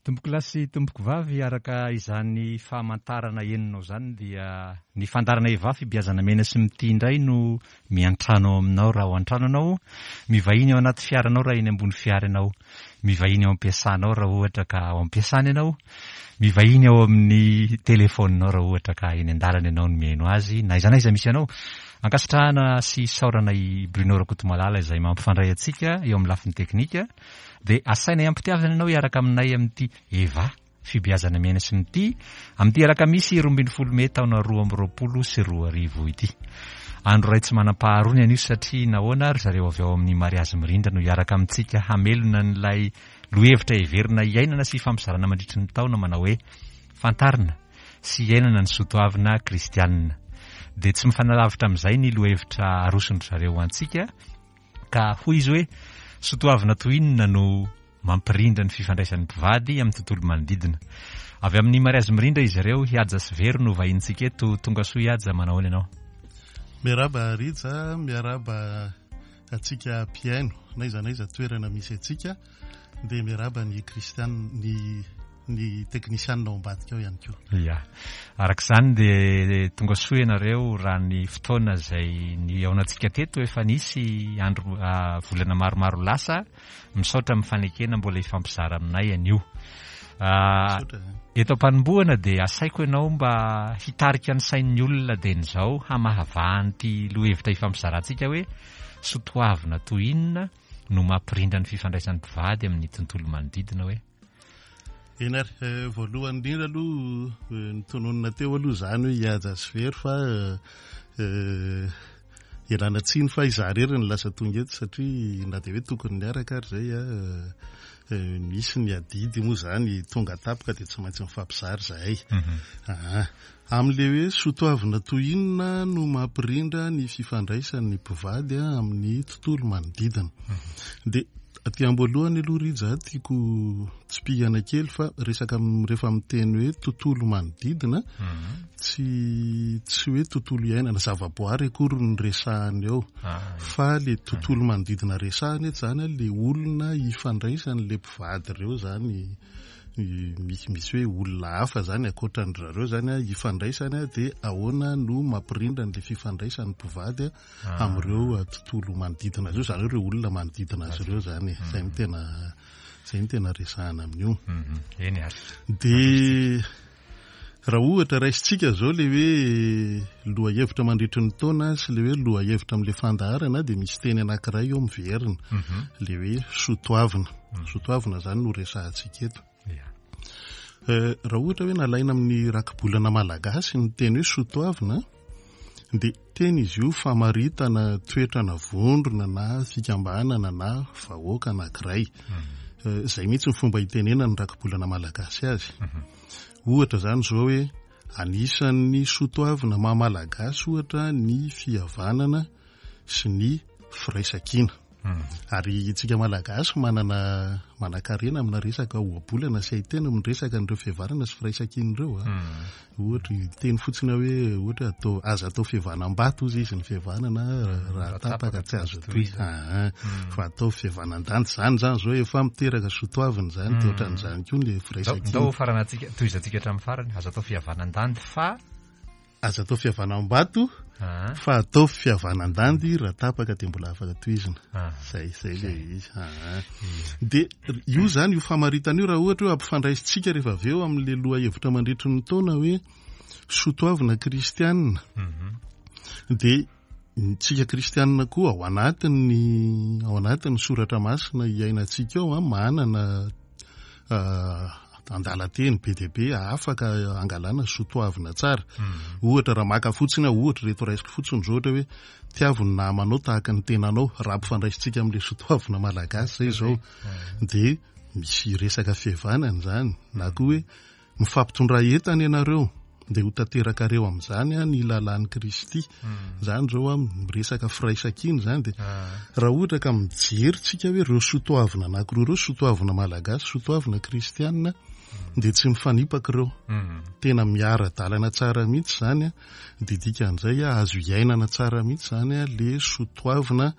Tompokolahy sy tompokovavy, araka izany famantarana henonao izany dia ny fandaharana Eva fibiazana mena sy mitia indray no miantrano ao aminao raha ao an-trano ianao, mivahiny ao anaty fiaranao raha eny ambony fiara ianao, mivahiny ao am-piasanao raha ohatra ka ao am-piasana ianao, mivahiny ao amin'ny telefaoninao raha ohatra ka eny an-dalana ianao no mihaino azy, na aiza na aiza misy anao. Ankasitrahana sy isaorana i Bruno Rakotomalala izay mampifandray antsika eo amin'ny lafiny teknika. Dia asainay am-pitiavana ianao hiaraka aminay amin'ity Eva, fibeazana miaina sy mitia, amin'ity alakamisy 12 mey taona 2022 ity. Andro iray tsy manam-paharoa ny anio satria nahoana ry zareo avy ao amin'ny Mariazy Mirindra no hiaraka amintsika hamelona an'ilay lohevitra heverina hiainana sy hifampizarana mandritry ny taona manao hoe Fantarina sy iainana ny soatoavina kristianina. Dia tsy mifanalavitra amin'izay ny lohevitra aroson-dry zareo ho antsika Ka hoy izy hoe, Sotoavina toy inona no mampirindra ny fifandraisan'ny mpivady amin'ny tontolo manodidina. Avy amin'ny mariazy mirindra izy ireo, Hihaja sy Vero no vahinintsika eto. Tonga soa Hihaja, manao ahoana ianao? Miarahaba Rija, miarahaba antsika mpihaino n'aiza n'aiza toerana misy antsika. Dia miarahaba ny kristiana, ny ny teknisianina ao ambadika ao ihany koa. Ya. Araka izany dia tonga soa ianareo raha ny fotoana izay nihaonantsika teto efa nisy andro ah, volana maromaro lasa. Misaotra amin'ny fanekena mbola hifampizara aminay anio. Ah, eto am-panombohana dia asaiko ianao mba hitarika ny sain'ny olona dieny izao hamahavaha an'ity lohahevitra hifampizarantsika hoe sotoavina toy inona no mampirindra ny fifandraisan'ny mpivady amin'ny tontolo manodidina hoe? Eny ary, eh, voalohany indrindra aloha eh, ny tononina teo aloha izany hoe hihaja sy very fa eh, ialana tsiny fa izaho irery no lasa tonga eto satria na dia hoe tokony niaraka ary izay misy ny adidy moa izany tonga tampoka dia tsy maintsy mifampizara izahay. Mhm. Ah, Amin'ilay hoe soatoavina toy inona no mampirindra ny fifandraisan'ny mpivady amin'ny tontolo manodidina. Dia aty am-boalohany aloha Rija tiako tsipihana kely fa resaka rehefa miteny hoe tontolo manodidina tsy tsy hoe tontolo iainana zavaboary akory no resahana eo fa le tontolo manodidina resahana eto izany le olona ifandraisan'le mpivady ireo izany misy misy hoe olona hafa zany ankoatran-dry zareo zany a ifandraisany a dia ahoana no mampirindra an'ilay fifandraisan'ny mpivady a ah. amin'ireo tontolo manodidina azy io zany hoe ireo olona manodidina azy ireo zany e. Zay no tena zay no tena resahana amin'io. Mhm. Eny ary. Dia Raha ohatra raisintsika izao ilay hoe lohahevitra mandritry ny taona sy ilay hoe lohahevitra amin'ilay fandaharana dia misy teny anankiray eo miverina, mhm. ilay hoe sotoavina. Mhm. Sotoavina izany no resahantsika eto. Eh, raha ohatra hoe nalaina amin'ny rakibolana malagasy ny teny hoe sotoavina dia teny izy io famaritana toetrana vondrona na fikambanana na vahoaka anankiray. Mhm. Eh, izay mihitsy ny fomba itenenan'ny rakibolana malagasy azy. Ohatra izany izao hoe anisan'ny soatoavina maha Malagasy ohatra ny fihavanana sy ny firaisankina. Ary isika Malagasy manana manankarena amina resaka ohabolana sy haiteny miresaka an'ireo fihavanana sy firaisankina ireo. Ohatra hiteny fotsiny aho hoe ohatra atao aza atao fihavanam-bato hozy izy ny fihavanana raha tapaka tsy azo atohizana. Aa fa atao fihavanam-dandy izany izany izao efa miteraka soatoavina izany dia ohatran'izany koa ny firaisankina. Ndao faranantsika tohizantsika hatramin'ny farany aza atao fihavanam-dandy fa Aza atao fihavanam-bato fa ataovy fihavanan-dandy raha tapaka dia mbola afaka tohizina. Zay, zay le izy. Dia io zany, io famaritana io raha ohatra hoe ampifandraisintsika rehefa avy eo amin'le lohahevitra mandritry ny taona hoe soatoavina kristianina. Dia tsika kristianina koa ao anatin'ny ao anatin'ny soratra masina iainantsika ao manana andalan-teny be dia be afaka angalana soatoavina tsara. Ohatra raha maka fotsiny aho, ohatra ireto raisiko fotsiny izao ohatra hoe tiavo ny namanao tahaka ny tenanao, raha ampifandraisintsika amin'ilay soatoavina malagasy izay izao dia misy resaka fihavanana izany, na koa hoe Mifampitondrà entana ianareo, dia ho tanterakareo amin'izany ny lalàn'i Kristy. Izany izao miresaka firaisankina izany dia raha ohatra ka mijery tsika hoe ireo soatoavina anankiroa ireo, soatoavina malagasy, soatoavina kristianina, dia tsy mifanipaka ireo. Tena miara-dalana tsara mihitsy izany, dia dikan'izay azo iainana tsara mihitsy izany ilay soatoavina.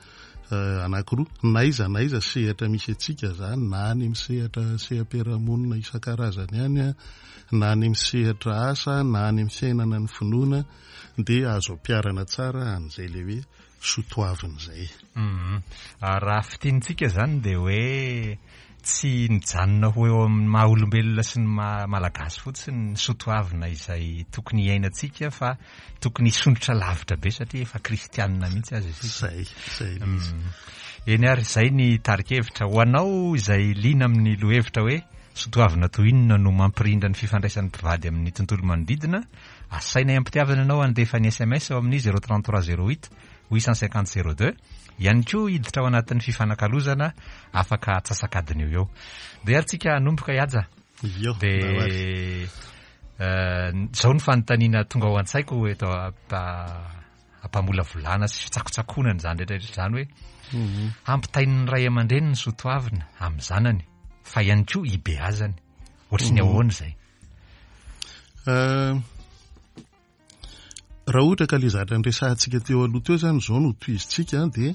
Anankiroa, n'aiza n'aiza sehatra misy antsika izany, na any amin'ny sehatra seha-piarahamonina isan-karazany any, na any amin'ny sehatra asa, na any amin'ny fiainana ny finoana, dia azo ampiharana tsara an'izay ilay hoe soatoavina izay. Raha fintinintsika izany dia hoe tsy nijanona ho eo amin'ny maha olombelona sy ny maha malagasy fotsiny ny soatoavina izay tokony hiainantsika fa tokony hisondrotra lavitra be satria efa kristianina mihitsy aza isika. Izay, izay ilay izy. Eny ary, izay ny tari-kevitra. Ho anao izay liana amin'ny lohevitra hoe soatoavina toy inona no mampirindra ny fifandraisan'ny mpivady amin'ny tontolo manodidina, asainay am-pitiavana ianao handefa ny sms ao amin'ny 033 08 850 02, ihany koa hiditra ao anatin'ny fifanakalozana afaka atsasak'adiny eo eo. Ndeha ary tsika hanomboka i Haja. Io, Dia izao ny fanontaniana tonga ao an-tsaiko eto ampamolavolana sy fitsakotsakoana an'izany rehetra rehetra izany hoe mhm. hampitain'ny ray aman-dreny ny soatoavina amin'ny zanany fa ihany koa ibeazany. Ohatry ny mhm. ahoana izay? Raha ohatra ka le zavatra niresahantsika teo aloha teo zany izao no tohizintsika dia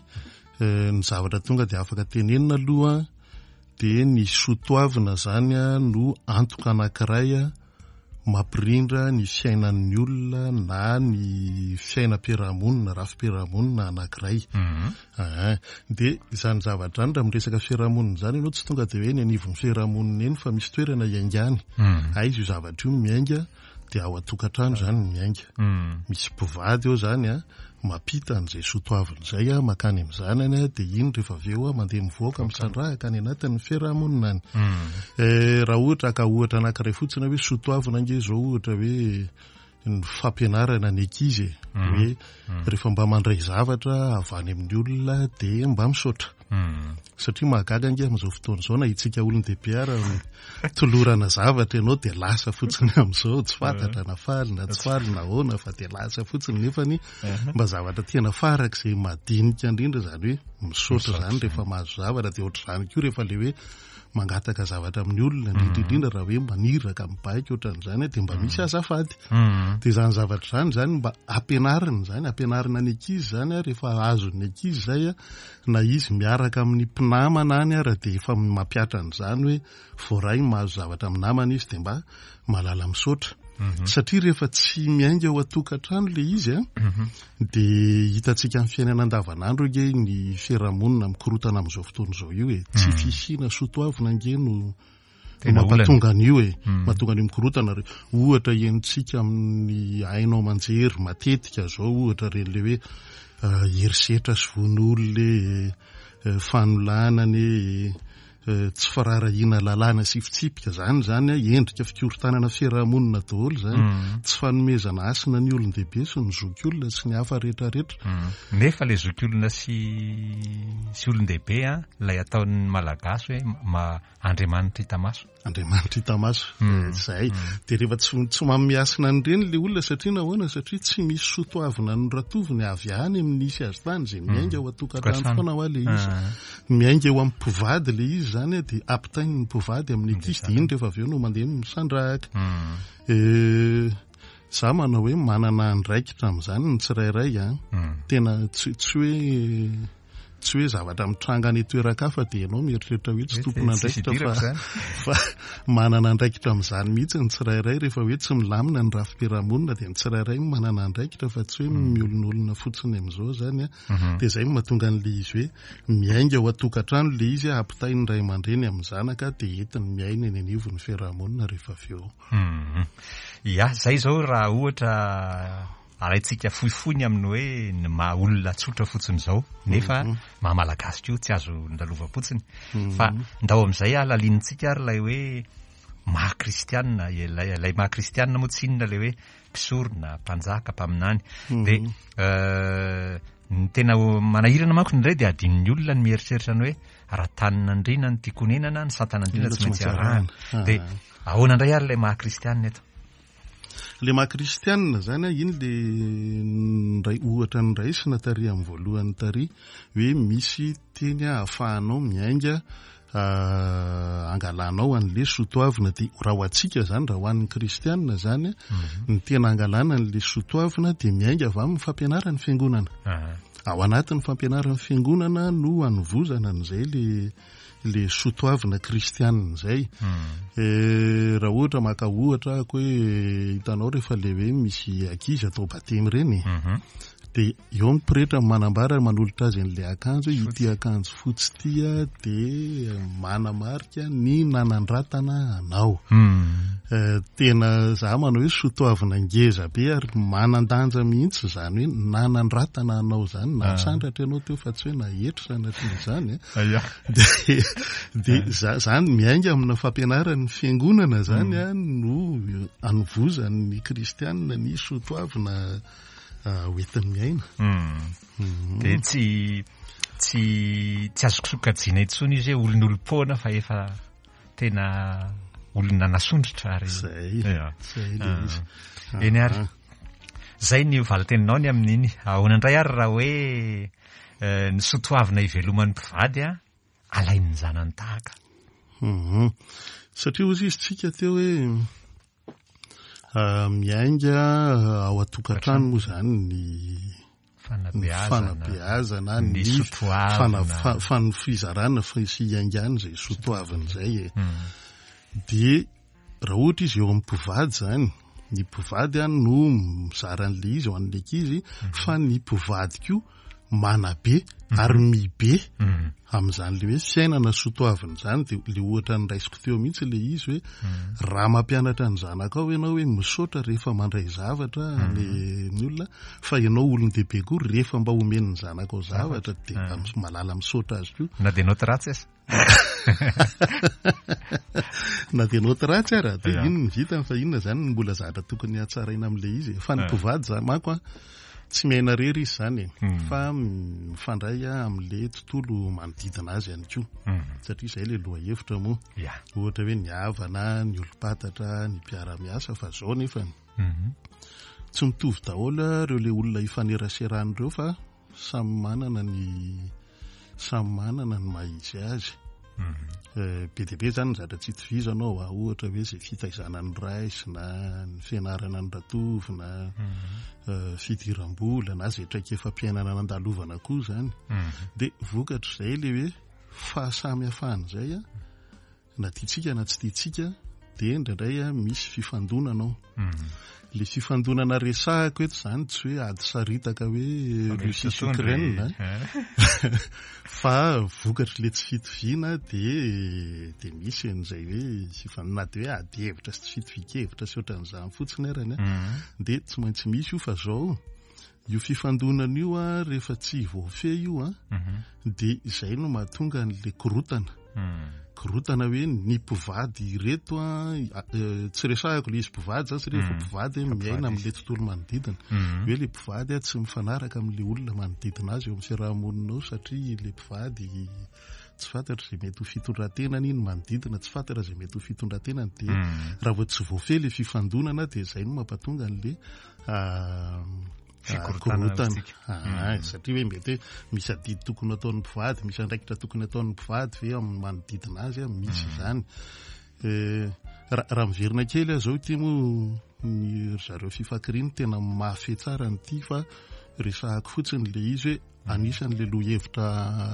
ny zavatra tonga dia afaka tenenina aloha dia ny soatoavina zany no antoka anankiray mampirindra ny fiainan'ny olona na ny fiainam-piarahamonina, rafi-piarahamonina anankiray. Aa. Dia izany zavatra izany raha miresaka fiarahamonina izany ianao tsy tonga dia hoe eny anivon'ny fiarahamonina eny fa misy toerana iaingany. Aiza io zavatra io no miainga? Dia ao an-tokantrano izany no miainga. Misy mpivady eo izany an, mampita an'izay soatoavina izay an, mankany amin'ny zanany an, dia iny rehefa avy eo an, mandeha mivoaka misandrahaka any anatin'ny fiarahamonina any. Raha ohatra haka ohatra anankiray fotsiny hoe soatoavina ange izao ohatra hoe ny fampianarana ny ankizy e, hoe rehefa mba mandray zavatra avy any amin'ny olona dia mba misaotra. Satria mahagaga ange amin'izao fotoana izao na itsika olon-dehibe ara tolorana zavatra ianao dia lasa fotsiny amin'izao, tsy fantatra na faly na tsy faly na ahoana fa dia lasa fotsiny nefany mba zavatra tena farak'izay madinika indrindra izany hoe misaotra izany rehefa mahazo zavatra dia ohatr'izany koa rehefa ilay hoe mangataka zavatra amin'ny olona indrindra indrindra raha hoe maniraka mibaiko ohatran'izany dia mba misy azafady. Dia izany zavatra izany izany mba ampianarina izany, ampianarina ny ankizy izany rehefa azon'ny ankizy izay na izy miaraka amin'ny mpinamana any ara dia efa mampihatra an'izany hoe voaray mahazo zavatra amin'ny namana izy dia mba mahalala misaotra. Satria rehefa tsy miainga ao an-tokantrano ilay izy an, dia hitantsika amin'ny fiainana andavanandro ange ny fiarahamonina mikorotana amin'izao fotoana izao io e. Tsy fisiana soatoavina ange no Tena olana. Mampatonga an'io e. Mahatonga an'io mikorotana re. Ohatra henontsika amin'ny haino aman-jery matetika izao ohatra ireny ilay hoe herisetra sy vono olona e, fanolanana e, tsy firaharahiana lalàna sy fitsipika. Izany izany endrika fikorontanana fiarahamonina daholo izany. Tsy fanomezana hasina ny olon-dehibe sy ny zokiolona sy ny hafa rehetrarehetra. Nefa ilay zokiolona sy sy olon-dehibe an, ilay ataon'ny Malagasy hoe ma Andriamanitra hita maso. Andriamanitra hita maso, izay. Dia rehefa tsy tsy manome hasina an'ireny ilay olona satria nahoana? Satria tsy misy soa toavina noratoviny avy any amin'ny nisy azy tany, izay miainga ao an-tokantrano foana hoa ilay izy. Miainga eo amin'ny mpivady ilay izy izany dia ampitainy ny mpivady amin'ny ankizy dia iny rehefa avy eo no mandeha misandrahaka. Za manao hoe manana andraikitra amin'izany ny tsirairay an. Tena tsy tsy hoe Tsy hoe zavatra mitranga any toeran-kafa dia ianao mieritreritra hoe tsy tompon'andraikitra fa fa manana andraikitra amin'izany mihitsy ny tsirairay rehefa hoe tsy milamina ny rafi-piarahamonina dia ny tsirairay no manana andraikitra fa tsy hoe mm. miolonolona fotsiny amin'izao izany a. Mhm. Dia izay no mahatonga an'ilay izy hoe miainga ao an-tokantrano ilay izy ampitain'ny ray aman-dreny amin'ny zanaka dia entiny miaina eny anivon'ny fiarahamonina rehefa avy eo. Mhm. Ya, izay izao raha ohatra Alaintsika fohifohy ny amin'ny hoe ny maha olona tsotra fotsiny izao, nefa maha malagasy koa tsy azo ndalovam-potsiny. Fa ndao amin'izay halalinintsika ary ilay hoe maha kristianina, ilay ilay maha kristianina moa tsy inona ilay hoe mpisorona, mpanjaka, mpaminany. Dia ny tena manahirana manko indray dia adinon'ny olona ny mieritreritra ny hoe raha tanin'andriana no tiako honenana, ny satan'andriana tsy maintsy arahana. Dia ahoana indray ary ilay maha kristianina eto? Le maha kristianina zany a, iny le ndray ohatra noraisina tary amin'ny voalohany tary hoe misy teny ahafahanao miainga angalanao an'le sotoavina dia raha ho antsika zany raha ho an'ny kristianina zany ny tena angalana an'le sotoavina dia miainga avy amin'ny fampianaran'ny fiangonana. Ao anatin'ny fampianaran'ny fiangonana no anovozana an'izay le le soatoavina kristianina izay. Hmm. Raha ohatra maka ohatra ahako hoe hitanao rehefa le hoe misy ankizy atao batemy ireny mhm. dia eo ny pretra manambara manolotra azy an'ilay akanjo hoe ity akanjo fotsy ity dia manamarika ny nanandratana anao. Hmm. Eh, tena za manao hoe sotoavina ngeza be ary manan-danja mihitsy izany hoe nanandratana anao izany, ah. nasandratra ianao teo fa tsy hoe nahetry sanatria izany. Eh. Dia dia za zany miainga amina fampianaran'ny fiangonana zany hmm. a no anovozan'ny kristianina ny sotoavina ah, hoentiny miaina. Hmm. Hmm. Dia tsy tsy tsy azoko sokajiana intsony izy hoe olon'olom-poana fa efa tena olona nasondrotra ary zay zay le ah. izy. Eny ary. Ah. Zay ny valin-teninao ny amin'iny. Ahoana indray ary raha hoe eh, ny sotoavina iveloman'ny mpivady a alain'ny zanany tahaka. Mhm. Satria hozy izy tsika teo hoe ah, miainga ah, ao an-tokantrano moa zany ny fanabeazana, ny fizarana sy iaingana izay sotoavina izay e. Hmm. Dia raha ohatra izy eo amin'ny mpivady izany, ny mpivady any no mizara an'ilay izy ho an'ny ankizy, hmm. fa ny mpivady koa manabe hmm. ary mibe amin'izany le hoe fiainana sotoavina izany dia le ohatra niraisiko teo mihitsy le izy hoe raha mampianatra ny zanakao ianao hoe misaotra rehefa mandray zavatra ny olona Fa ianao olon-dehibe koa rehefa mba omen'ny zanakao zavatra dia mba ah. malala misaotra azy koa. Na dia naoty ratsy aza. Na dia naoty ratsy ara dia inona ny vitany fa inona zany ny mbola zavatra tokony hatsaraina amin'ilay izy. Fa ny ah. mpivady zany manko an tsy miaina rery izy zany e hmm. fa mifandray amin'ilay tontolo manodidina azy ihany koa hmm. satria izay ilay lohahevitra moa. Ohatra hoe ny havana, ny olom-pantatra, ny mpiara-miasa fa zao nefany. Mhm. Tsy mitovy daholo ireo le olona ifaneraserana ireo fa samy manana ny samy manana ny maha izy azy. Mhm. Eh, be dia be zany ny zavatra tsy itovizana ao, ah, ohatra hoe izay fitaizana ny ray sy na ny fianarana ny ratovy na mhm. eh, fidiram-bola na izay traikefam-piainana nandalovana koa zany. Dia vokatr'izay le hoe fahasamihafana izay a. Na tiantsika na tsy tiantsika dia indraindray misy fifandonana ao. Mhm. Le fifandonana resahako eto izany tsy hoe ady saritaka hoe Russie sy Ukraine eh. fa vokatry le tsy fitoviana dia dia misy an'izay hoe fifandonana dia hoe ady hevitra sy tsy fitovian-kevitra sy ohatran'izany fotsiny arany mhm. dia tsy maintsy misy io fa zao Io fifandonana io a, rehefa tsy voafehy io a, mhm. dia izay no mahatonga an'le korotana. Hmm. Korotana hoe ny mpivady ireto a, eh, tsy resahako le izy mpivady zany satria efa hmm. mpivady miaina amin'le tontolo manodidina. Hmm. Hoe le mpivady a tsy mifanaraka amin'le olona manodidina azy eo amin'ny fiaraha-monina ao satria le mpivady tsy fantatra izay mety ho fitondran-tenany ny manodidina, tsy fantatra izay mety ho fitondran-tenany dia raha vao tsy voafehy le fifandonana dia izay no mampatonga an'le Fikorontana. Ah, hmm. Satria hoe mety hoe misy adidy tokony ataon'ny mpivady, misy andraikitra tokony ataon'ny mpivady ve amin'ny manodidina azy, misy hmm. izany. Eh, raha miverina kely aho izao ity moa ny ry zareo fifankiriny tena mahafehy tsara an'ity fa resahako fotsiny le izy hoe Anisan'ilay lohahevitra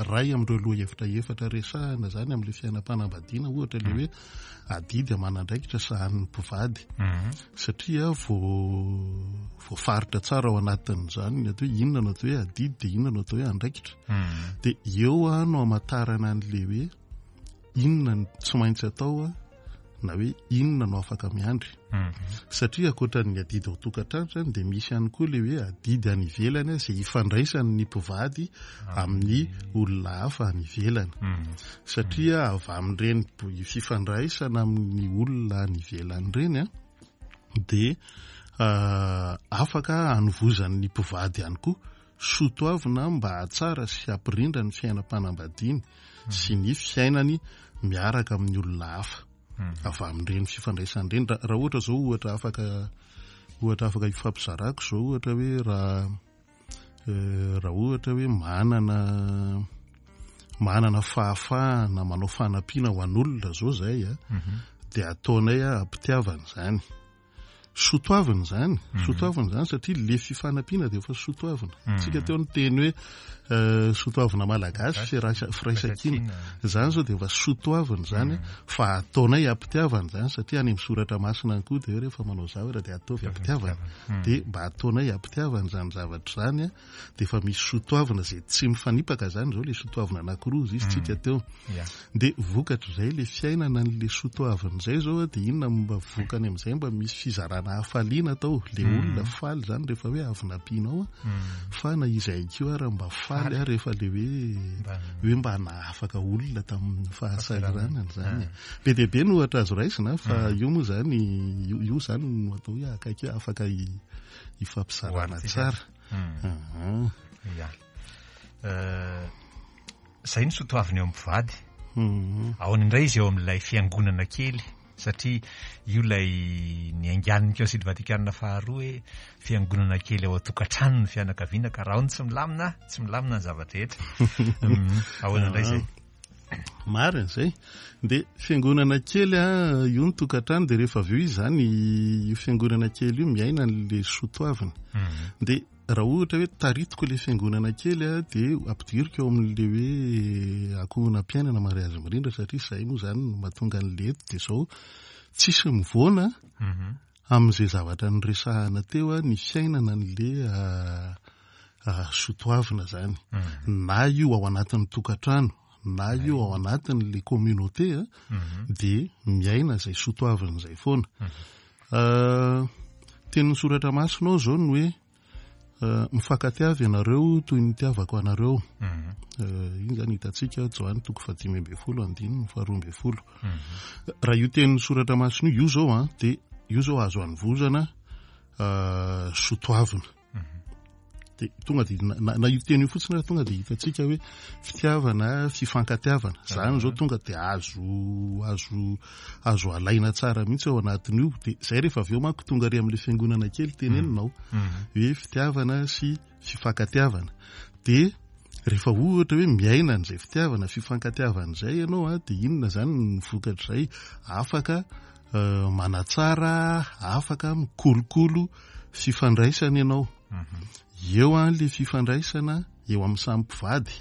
iray amin'ireo lohahevitra efatra resahina izany amin'ilay fiainam-panambadiana ohatra ilay hoe adidy aman'andraikitra sahanin'ny mpivady mhm. satria voafaritra tsara ao anatin'izany ny atao hoe inona no atao hoe adidy dia inona no atao hoe andraikitra mhm. dia eo no hamantarana an'ilay hoe inona no tsy maintsy atao na hoe inona no afaka miandry mhm. satria ankoatra ny adidy ao tokantrano zany dia misy ihany koa le hoe adidy any ivelany izay ifandraisany ny mpivady ah. amin'ny olona hafa any ivelany mhm. satria avy amin'ireny fifandraisana amin'ny olona any ivelany ireny a dia ah, afaka anovozan'ny mpivady ihany koa Soatoavina mba hahatsara sy hampirindra ny fiainam-panambadiany sy ny fiainany miaraka amin'ny olona hafa avy amin'ireny fifandraisana ireny. Raha ohatra izao ohatra afaka ohatra afaka ifampizarako izao ohatra hoe raha eh, raha ohatra hoe manana manana fahafahana manao fanampiana ho an'olona izao izay a, mhm. dia ataonay ampitiavana izany. Soatoavina izany, soatoavina izany satria le fifanampiana dia efa soatoavina. Tsika teo niteny hoe soatoavina malagasy, firaisankina. Izany izao dia efa soatoavina izany fa ataonay ampitiavana izany satria any amin'ny soratra masina any koa dia hoe rehefa manao zavatra dia ataovy ampitiavana. Dia mba ataonay ampitiavana izany zavatra izany dia efa misy soatoavina izay tsy mifanipaka izany izao le soatoavina anankiroa izy izy tsika teo. Dia vokatr'izay le fiainana an'le soatoavina izay izao dia inona no mba vokany amin'izay mba misy fizarana hafaliana atao le olona faly izany rehefa hoe avy nampianao fa na izahay koa ara mba faly rehefa le hoe hoe mba nahafaka olona tamin'ny fahasahiranana izany. Be dia be no ohatra azo raisina fa io moa izany io izany no atao hoe akaiky hoe afaka hifampizarana tsara. Ya. Izay no soatoavina eo amin'ny mpivady. Ahoana indray izy eo amin'ilay fiangonana kely? Satria io ilay niaingan'ny Kaonsily Vatikana faharoa hoe fiangonana kely ao an-tokantrano ny fianakaviana ka raha ao no tsy milamina, tsy milamina ny zava-drehetra. Ahoana indray izay? Marina izay. Dia fiangonana kely io ny tokantrano dia rehefa avy eo izy izany io fiangonana kely io miaina an'ilay soatoavina. Dia raha ohatra hoe taritiko ilay fiangonana kely dia ampidiriko ao amin'ilay hoe ankohonam-piainana mariazy mirindra satria izay moa izany no mahatonga an'ilay eto dia izao tsisy mivoana amin'izay zavatra noresahana teo ny fiainana an'ilay soatoavina izany na io ao anatin'ny tokantrano na io ao anatin'ilay communauté dia miaina izay soatoavina izay foana. Tenin'ny soratra masina ao izao ny hoe mifankatiava ianareo toy ny nitiavako anareo. Iny izany hitantsika Joany toko fahadimy ambin'ny folo andininy faharoa ambin'ny folo. Raha io tenin'ny soratra masina io, io izao an, dia io izao azo anovozana soatoavina. Dia tonga dia na io teny io fotsiny ary tonga dia hitantsika hoe fitiavana, fifankatiavana. Izany izao tonga dia azo azo azo alaina tsara mihitsy ao anatin'io. Dia izay rehefa avy eo manko tonga ary amin'ilay fiangonana kely teneninao hoe fitiavana sy fifankatiavana. Dia rehefa ohatra hoe miaina an'izay fitiavana, fifankatiavana izay ianao an, dia inona izany ny vokatr'izay? Afaka manatsara, afaka mikolokolo fifandraisana ianao. Eo an le fifandraisana eo amin'ny samy mpivady,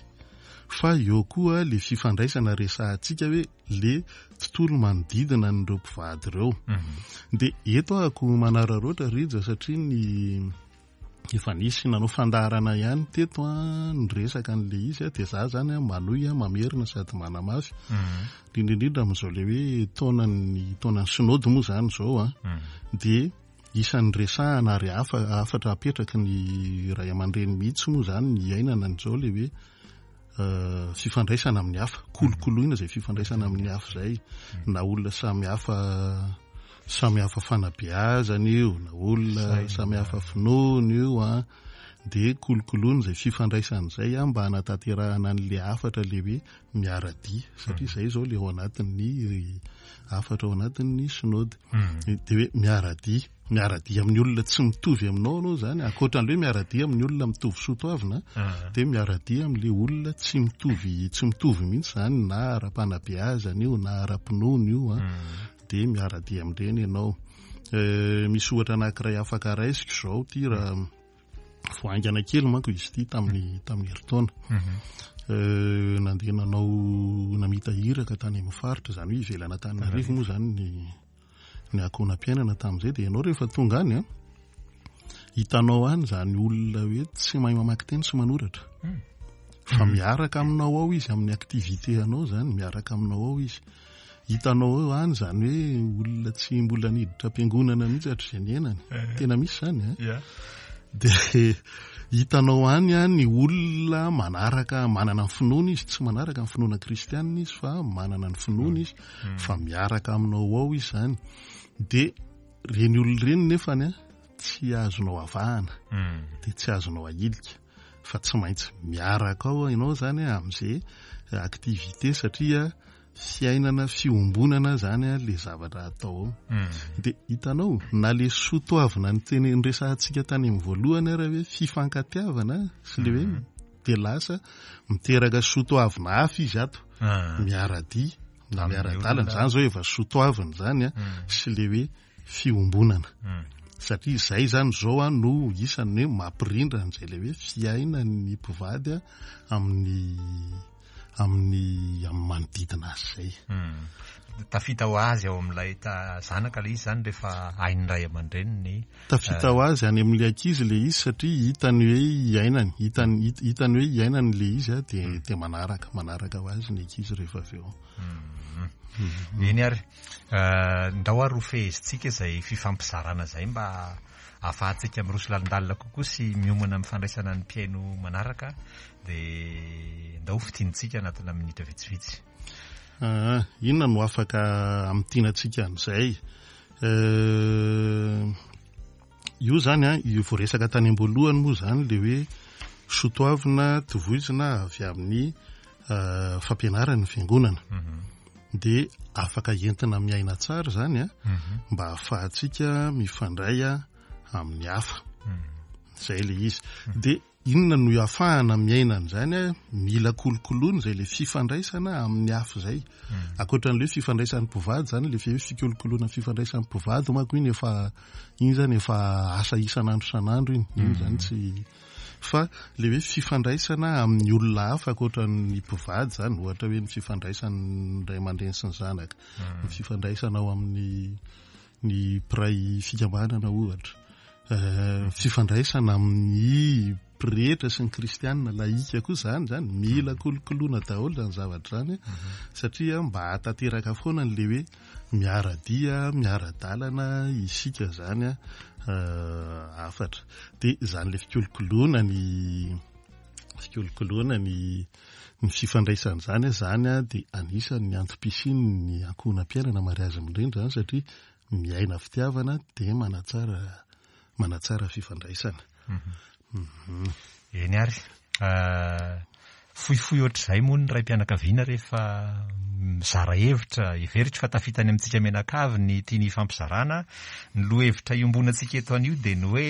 fa eo koa le fifandraisana resahantsika hoe le tontolo manodidina an'ireo mpivady ireo. Dia eto ahako manararaotra Rija satria ny efa nisy nanao fandaharana ihany teto an, niresaka an'ilay izy an, dia za zany an manohy an, mamerina sady manamafy. Indrindra indrindra amin'izao ilay hoe taonan'ny taonan'ny synode moa zany izao an, dia isan'ny resahana ary hafa hafatra apetraky ny ray aman-dreny mihitsy moa zany ny iainana an'izao ilay hoe fifandraisana amin'ny hafa, kolokoloina izay fifandraisana amin'ny hafa izay, na olona samy hafa samy hafa fanabeazana io, na olona samy hafa finoana io an, dia kolokoloina izay fifandraisana izay an, mba hanatanterahana an'ilay hafatra ilay hoe miara-dia, satria izay izao ilay ao anatin'ny hafatra ao anatin'ny synode, dia hoe miara-dia. Miara-dia amin'ny olona tsy mitovy aminao ianao izany, ankoatra an'ilay hoe miara-dia amin'ny olona mitovy soatoavina, dia miara-dia amin'ilay olona tsy mitovy, tsy mitovy mihitsy izany, na ara-panabeazana io, na ara-pinoana io, an, dia miara-dia amin'ireny ianao. Misy ohatra anankiray afaka raisiko izao ity raha vao haingana kely manko izy ity tamin'ny tamin'ny herintaona. Nandeha nanao namita iraka tany amin'ny faritra, izany hoe ivelan'Antananarivo moa izany ny ny ankohonam-piainana tamin'izay dia ianao rehefa tonga any an, hitanao any izany olona hoe tsy mahay mamaky teny sy manoratra. Fa miaraka aminao ao izy amin'ny activité anao izany, miaraka aminao ao izy. Hitanao eo any izany hoe olona tsy mbola niditra am-piangonana mihitsy hatrizay niainany. Tena misy izany an. Dia hitanao any an ny olona manaraka, manana ny finoana izy, tsy manaraka ny finoana kristianina izy fa manana ny finoana izy. Fa miaraka aminao ao izy izany. Dia ireny olona ireny nefany an, tsy azonao avahana, dia tsy azonao ahilika, fa tsy maintsy miaraka ao ianao izany amin'izay activité satria fiainana fiombonana izany ilay zavatra atao ao. Dia hitanao, na ilay soa toavina niteny niresahantsika tany amin'ny voalohany ary hoe fifankatiavana sy ilay hoe dia lasa miteraka soa toavina hafa izy ato, miara-dia na miara-dalana, izany izao efa soa toavina izany an, sy ilay hoe fiombonana. Satria izay izany izao an no isan'ny hoe mampirindra an'izay ilay hoe fiainan'ny mpivady amin'ny amin'ny amin'ny manodidina azy izay. Hmm. Tafita ho azy ao amin'ilay zanaka ilay izy izany rehefa hain'ny ray aman-dreniny. Tafita ho azy any amin'ilay ankizy ilay izy satria hitany hoe iainany, hitany hitany hoe iainany ilay izy a dia hmm. dia manaraka manaraka ho azy ny ankizy rehefa avy eo. Hmm. Eny ary, eh, ndao ary ho fehezintsika izay fifampizarana izay mba ahafahantsika miroso lalindalina kokoa sy miomana amin'ny fandraisana ny mpihaino manaraka dia ndao ho fintinintsika anatina minitra vitsivitsy. Ah, inona no afaka hamintinantsika an'izay? Eh, io zany an, io voaresaka tany am-boalohany moa zany le hoe sotoavina tovoizina avy amin'ny eh, fampianaran'ny fiangonana. Mhm. Dia afaka entina miaina tsara zany an, mhm. mba hahafahantsika mifandray amin'ny hafa. Mhm. Zay le izy. Dia Inona no ahafahana miaina an'izany a? Mila kolokoloina izay ilay fifandraisana amin'ny hafa izay. Hmm. Ankoatra an'ilay hoe fifandraisan'ny mpivady izany, ilay hoe fikolokoloina fifandraisan'ny mpivady manko iny efa iny izany efa asa isan'andro isan'andro iny. Iny izany hmm. tsy fa ilay hoe fifandraisana amin'ny olona hafa ankoatra ny mpivady izany, ohatra hoe ny fifandraisan'ny ray aman-dreny sy ny zanaka, hmm. ny fifandraisana ao amin'ny ny mpiray fikambanana ohatra, fifandraisana amin'ny pretra sy ny kristianina lahika koa izany izany, mila kolokoloina daholo izany zavatra izany mhm. satria mba hahatanteraka foana an'ilay hoe miara-dia, miara-dalana isika izany eh, hafatra. Dia izany ilay fikolokoloana ny fikolokoloana ny ny fifandraisana izany izany dia anisan'ny antom-pisian'ny ankohonam-piainana mariazy mirindra izany satria miaina fitiavana dia manatsara manatsara fifandraisana. Mhm. Mhm. Eny ary. Ah, fohifohy ohatr'izay moa ny raim-pianakaviana rehefa mizara hevitra, heveriko fa tafita any amintsika mianakavy ny tiany hifampizarana. Ny lohahevitra iombonantsika eto anio dia ny hoe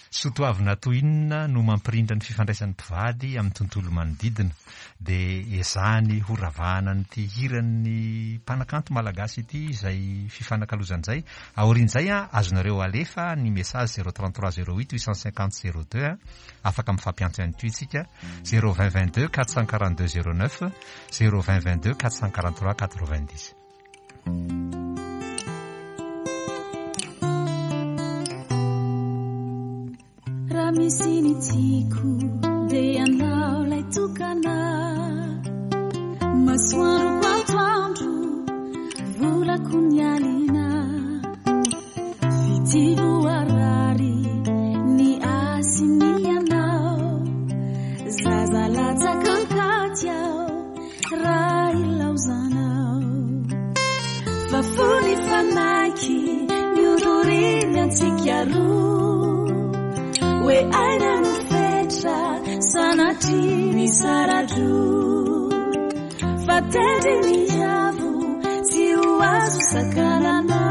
Soatoavina toy inona no mampirindra ny fifandraisan'ny mpivady amin'ny tontolo manodidina? Dia ezahany ho ravahana an'ity hiran'ny mpanakanto malagasy ity izay fifanakalozana izay. Aorian'izay, azonareo alefa ny message zéro 33 08 850 02. Afaka mifampiantso ihany koa isika zéro 20 22 442 09, zéro 20 22 443 90. Raha misy ny tiako dia ianao ilay tokana Masoandroko atoandro, volako ny alina Fitia voarary ny ahy sy ny anao Zaza latsaka an-katy aho Raha ilaozanao fa fony fanaiky niororiny antsika roa hoe aina no fetra sanatria ny saradroa fa tendry ny avo tsy ho azo sakanana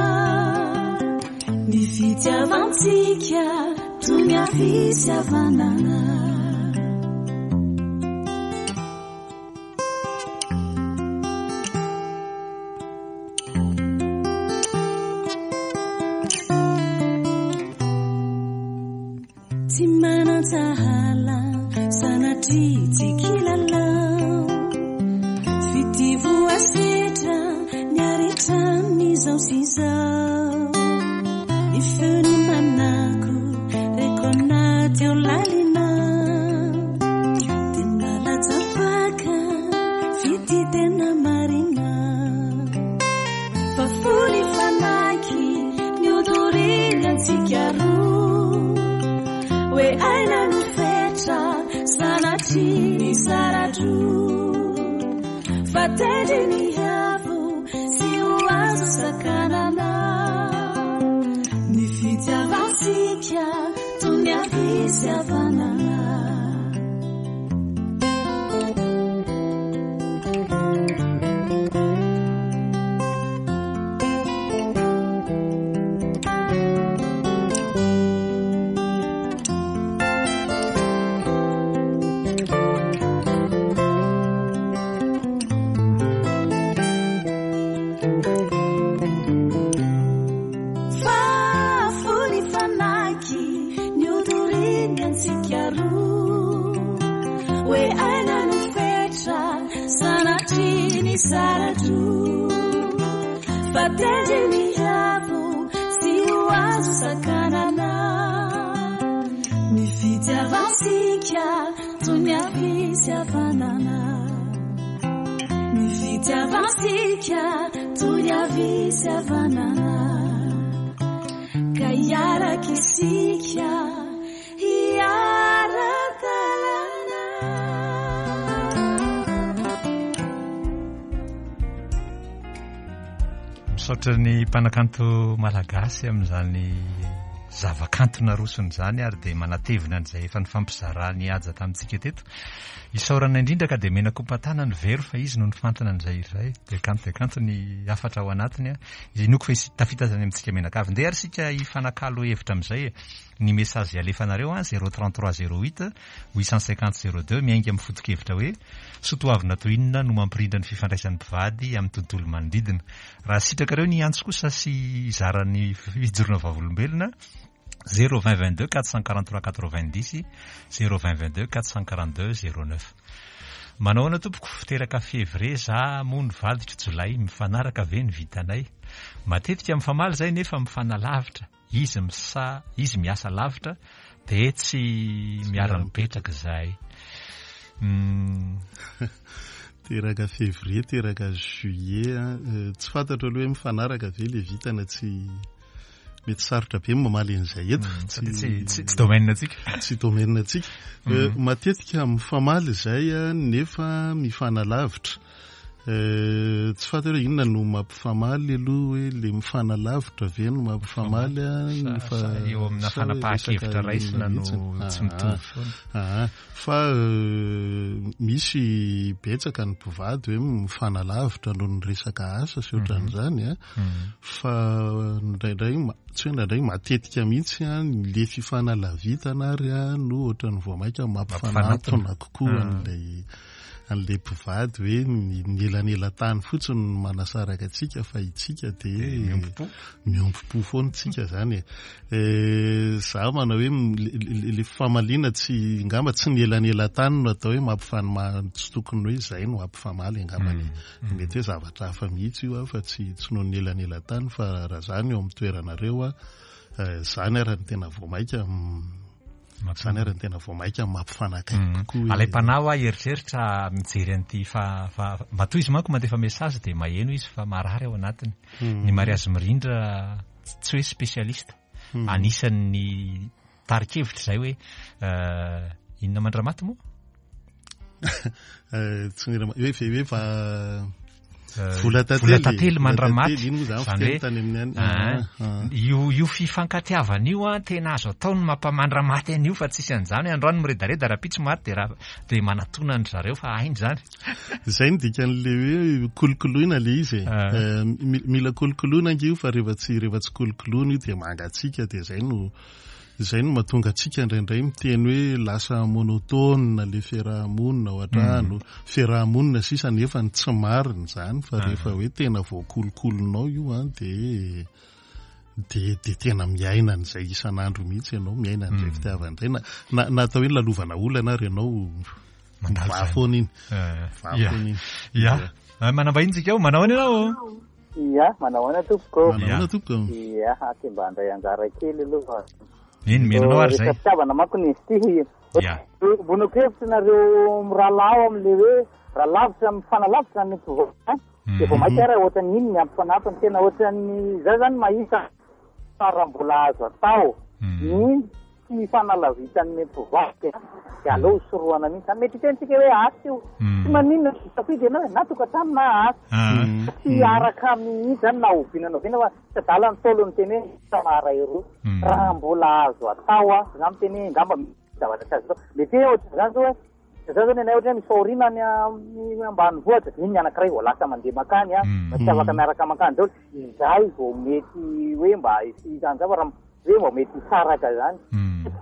ny fitiavantsika toy ny afisy havanana. Tsy manan-tsahala sanatria tsy kilalao Fitia voasedra niaritra an'izao sy izao Ny feony manako reko anaty ao lalina Dia milalatsa-paka fitia tena marina Fa fony fanaiky niodoriny antsika roa Hoe aina no fetra sanatria ny saradroa Fa tendry ny avo tsy ho azo sakanana Ny fitiavantsika toy ny havia sy havanana Fa fony misara-droa fa tendry ny avo tsy ho azo sakanana ny fitiavantsika toy ny afisy havanana ny fitiavantsika toy ny afisy havanana ka hiaraka isika hiara-dalana. Misaotra ny mpanakanto malagasy amin'izany zavakanto narosony izany ary dia manatevina an'izay efa nifampizarany haja tamintsika teto. Isaorana indrindra ka dia mena kompatana ny vero fa izy no nifantina an'izay hira izay. Dia kanto dia kanto ny hafatra ao anatiny. Inoako fa tafita izany amintsika mianakavy. Ndeha ary isika hifanakalo hevitra amin'izay e. Ny message alefanareo an, 033 08 850 02 miainga amin'ny foto-kevitra hoe soa-toavina toy inona no mampirindra ny fifandraisan'ny mpivady amin'ny tontolo manodidina. Raha sitrakareo ny hiantso kosa sy hizara ny fijoroana vavolombelona, 0 20 22 443 90, 0 20 22 442 09. Manao ahoana tompoko, teraka février za moa ny vadiko jolay, mifanaraka ve ny vitanay? Matetika mifamaly zay nefa mifanalavitra. Izy misa izy miasa lavitra de tsy miara-mipetraka izahay. Uhm. Teraka février, teraka juillet an, tsy fantatro aloha hoe mifanaraka ve le vintana tsy mety sarotra be ny mamaly an'izay eto. Tsy tsy domaine antsika. Tsy domaine antsika. Matetika mifamaly izay nefa mifanalavitra. Tsy fantatra hoe inona no mampifamaly aloha hoe le mifanalavitra ve no mampifamaly a fa eo amina fanapahan-kevitra raisina no tsy mitovy foana. Aa fa misy betsaka ny mpivady hoe mifanalavitra noho ny resaka asa sy ohatran'izany a fa indraindray tsy hoe indraindray matetika mihitsy a le fifanalavitana ary a no ohatran'ny vao mainka mampifanatona kokoa an'ilay an'ilay mpivady hoe ny elanelan-tany fotsiny no manasaraka antsika fa itsika dia miombom-po miombom-po foana tsika zany e. Za manao hoe le famaliana tsy ngamba tsy ny elanelan-tany no atao hoe mampifanoma tsy tokony hoe izay no hampifamaly angambany. Mety hoe zavatra hafa mihitsy io fa tsy tsy noho ny elanelan-tany fa raha zany eo amin'ny toeranareo a, zany ary no tena vao maika Izany ary no tena vao mainka mampifanakaiky mm. kokoa. Alaim-panahy hoa eritreritra mijery an'ity fa fa matoa izy manko mandefa message dia maheno izy fa marary ao anatiny. Mm. Ny mariazy mirindra tsy hoe spécialiste. Mm. Anisan'ny tari-kevitra izay hoe euh, inona mandramaty moa? Eh, tsy mira hoe hoe fa eh, vola tantely vola tantely mandramaty iny moa zany fiteny tany amin'ny any ah, ah. io io fifankatiavana io an tena azo atao ny mampamandramaty an'io fa tsisy an'izany hoe androany miredareda rahampitso maty de raha de manatona an-dry zareo fa hainy izany izay ny dikan'le hoe kolokoloina le izy e ah. eh, mila kolokoloina ange io fa rehefa tsy rehefa tsy kolokoloina io dia mangatsiaka dia izay no Izay no mahatonga antsika indraindray miteny hoe lasa monotone le fiaraha-monina ao an-trano, fiaraha-monina sisa nefa ny tsy marina izany fa rehefa hoe tena voakolokoloinao io an dia dia dia tena miaina an'izay isan'andro mihitsy ianao, miaina an'izay fitiavana izay na na na atao hoe lalovana olana ary ianao Mandalo mivaha izany. foana iny. Eh, Mivaha ya. foana iny. Ya. Eh, Manambahiny tsika ao, manao ahoana ianao? Ia, manao ahoana tompoko? Manao ahoana tompoko? Ia, aty mba handray anjara kely aloha. Eny, mino anao ary izay. Resaka fitiavana manko ny izy ity. Ia. Ombonako hevitra nareo mirahalahy ao amin'ilay hoe raha lavitra mifanalavitra ny mpivoaka dia vao mainka ary ohatran'ny iny ny ampifanatona tena ohatran'ny za zany mahita fa raha mbola azo atao ny Tsy hifanalavitan'ny mpivady dia aleo ho sorohana mihitsy zany. Mety hiteny tsika hoe asa io. Tsy maninona misafidy ianao e, na tokantrano na asa. Tsy hiaraka mihitsy zany na oviana na oviana fa tsy adala ny Ntaolo niteny hoe asa maharay roa. Raha mbola azo atao a, za miteny hoe angamba misy zavatra tsy azo atao. Mety hoe ohatran'izany zao hoe, za zao ny anay ohatra hoe misy fahoriana any amin'ny ambanivohitra, iny ny anankiray vao lasa mandeha mankany a, tsy afaka miaraka mankany daholo. Izay vao mety hoe mba hisy izany zavatra hoe vao mety hisaraka zany.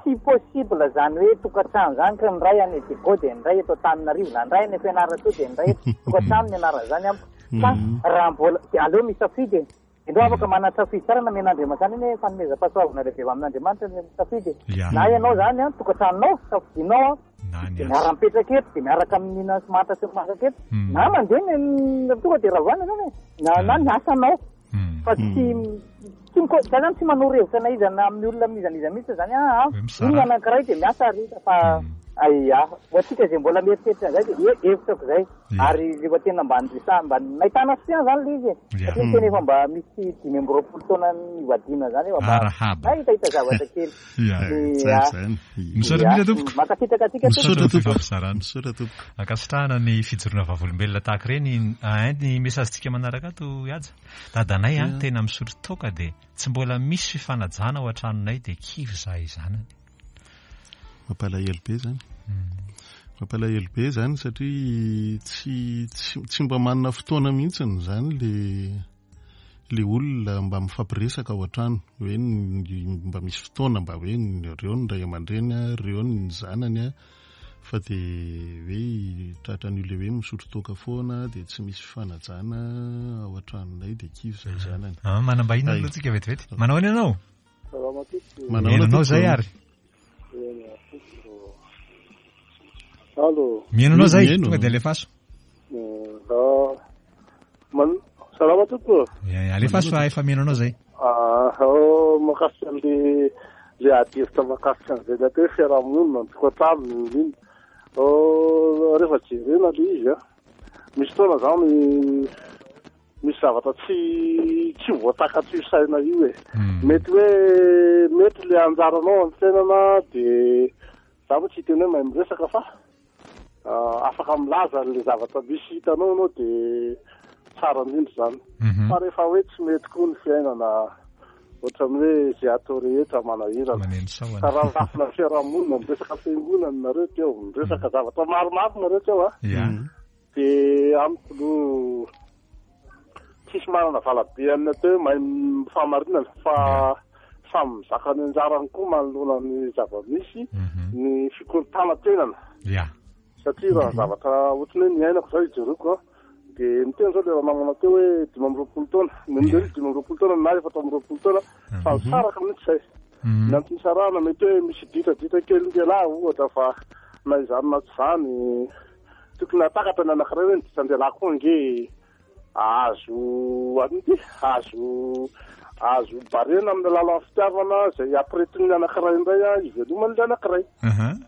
Tsy possible zany hoe tokantrano zany ka ny iray any Diego dia ny iray eto Antananarivo na ny iray any Fianarantsoa dia ny iray eto tokantrano ny anaran'izany amiko. Fa raha mbola dia aleo misafidy e. Ianao afaka manan-tsafidy tsara nomen'Andriamanitra zany anie fanomezam-pahasoavana lehibe avy amin'Andriamanitra ny safidy e. Na ianao zany an, tokantranonao, safidinao an, dia miara-mipetraka eto, dia miaraka mihinana sy manta sy masaka eto. Na mandeha ny tonga dia ravana zany e. Na na ny asanao. Fa tsy tsy miko za zany tsy manoro hevitra na iza na amin'ny olona amin'iza n'iza mihitsy zany ah, io ny anankiray dia miasa ary fa aia. Ho antsika izay mbola mieritreritra an'izay dia hevitrako izay. Ary rehefa tena mba niresahana, mba nahitana soutien zany le izy e. Satria ny tena efa mba misy 25 taona nivadiana zany efa mba nahitahita zavatra kely. Ia. Misaotra indrindra tompoko. Mankasitraka antsika tompoko. Misaotra tompoko. Misaotra tompoko. Ankasitrahana ny fijoroana vavolombelona tahaka ireny. Ny message-tsika manaraka ato Haja. Dadanay a, tena misotro toaka dia tsy mbola misy fifanajana ao an-tranonay dia kivy izahay zanany. Mampalahelo be zany. Mampalahelo be zany satria tsy tsy mba manana fotoana mihitsy zany le le olona mba mifampiresaka ao an-trano hoe mba misy fotoana mba hoe reo ny ray aman-dreny a, reo ny zanany a, fa de hoe tratran'io le hoe misotro toaka foana de tsy misy fifanajana ao an-tranonay de kivy zay zanany. Ah, manambahiny aloha tsika vetivety. Manao ahoana ianao? Salama tompoko. Manao ahoana anao zay ary? Allo. Mihaino anao zay, tonga dia alefaso. Man salama tompoko. Alefaso fa efa mihaino anao zay. Ah, oh, mahakasika an'le le ady hevitra mahakasika an'izay le atao hoe fiarahamonina, ny tokantrano, ny inona. Oh, rehefa jerena le izy a, misy fotoana zany Misy zavatra tsy tsy voatakatr'io saina io e. Mety hoe mety le anjaranao amin'ny fiainana de za moa tsy hiteny hoe mahay miresaka fa afaka milaza an'le zavatra misy hitanao ianao de tsara indrindra izany. Fa rehefa hoe tsy mety koa ny fiainana ohatran'ny hoe ze atao rehetra manahirana. Maneno sahona. Ka raha lafina fiarahamonina, miresaka fiangonana nareo teo, miresaka zavatra maromaro nareo teo a. Dia amiko aloha tsisy manana valabe amin'ny atao hoe mahay fahamarinana fa samy mizaka ny anjarany koa manoloana ny zava-misy mhm. ny fikorontanan-tenana. Satria raha zavatra ohatran'ny hoe niainako izao ijeroko an, dia niteny izao ilay ranamana teo hoe 25 taona, ny amin'ireny 25 taona na 24 taona fa mhm. nisaraka mihitsy izay. Mhm. Ny antony nisarahana mety hoe misy ditraditra kely lehilahy ohatra fa na izany na tsy izany Tokony hahatakatra ny anankiray hoe ny disan-dehilahy koa ange azo an'ity, azo azo barena amin'ny alalan'ny fitiavana izay ampiretin'ny anankiray indray hiveloman'ilay anankiray.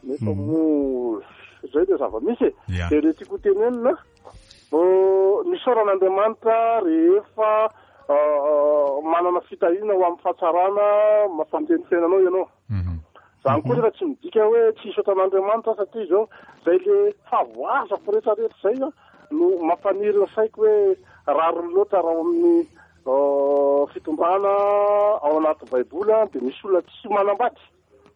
Nefa moa izay ilay zava-misy e. Dia ilay tiako hotenenina, misaora an'Andriamanitra rehefa manana fitahiana ho amin'ny fahatsarana mampandeha ny fiainanao ianao. Zany koa nefa tsy midika hoe tsy hisaotra an'Andriamanitra aho satria izao zay le fahavoazako rehetra rehetra zay no mampaniry ny saiko hoe rariny loatra raha ao amin'ny fitondrana ao anaty baiboly dia misy olona tsy manambady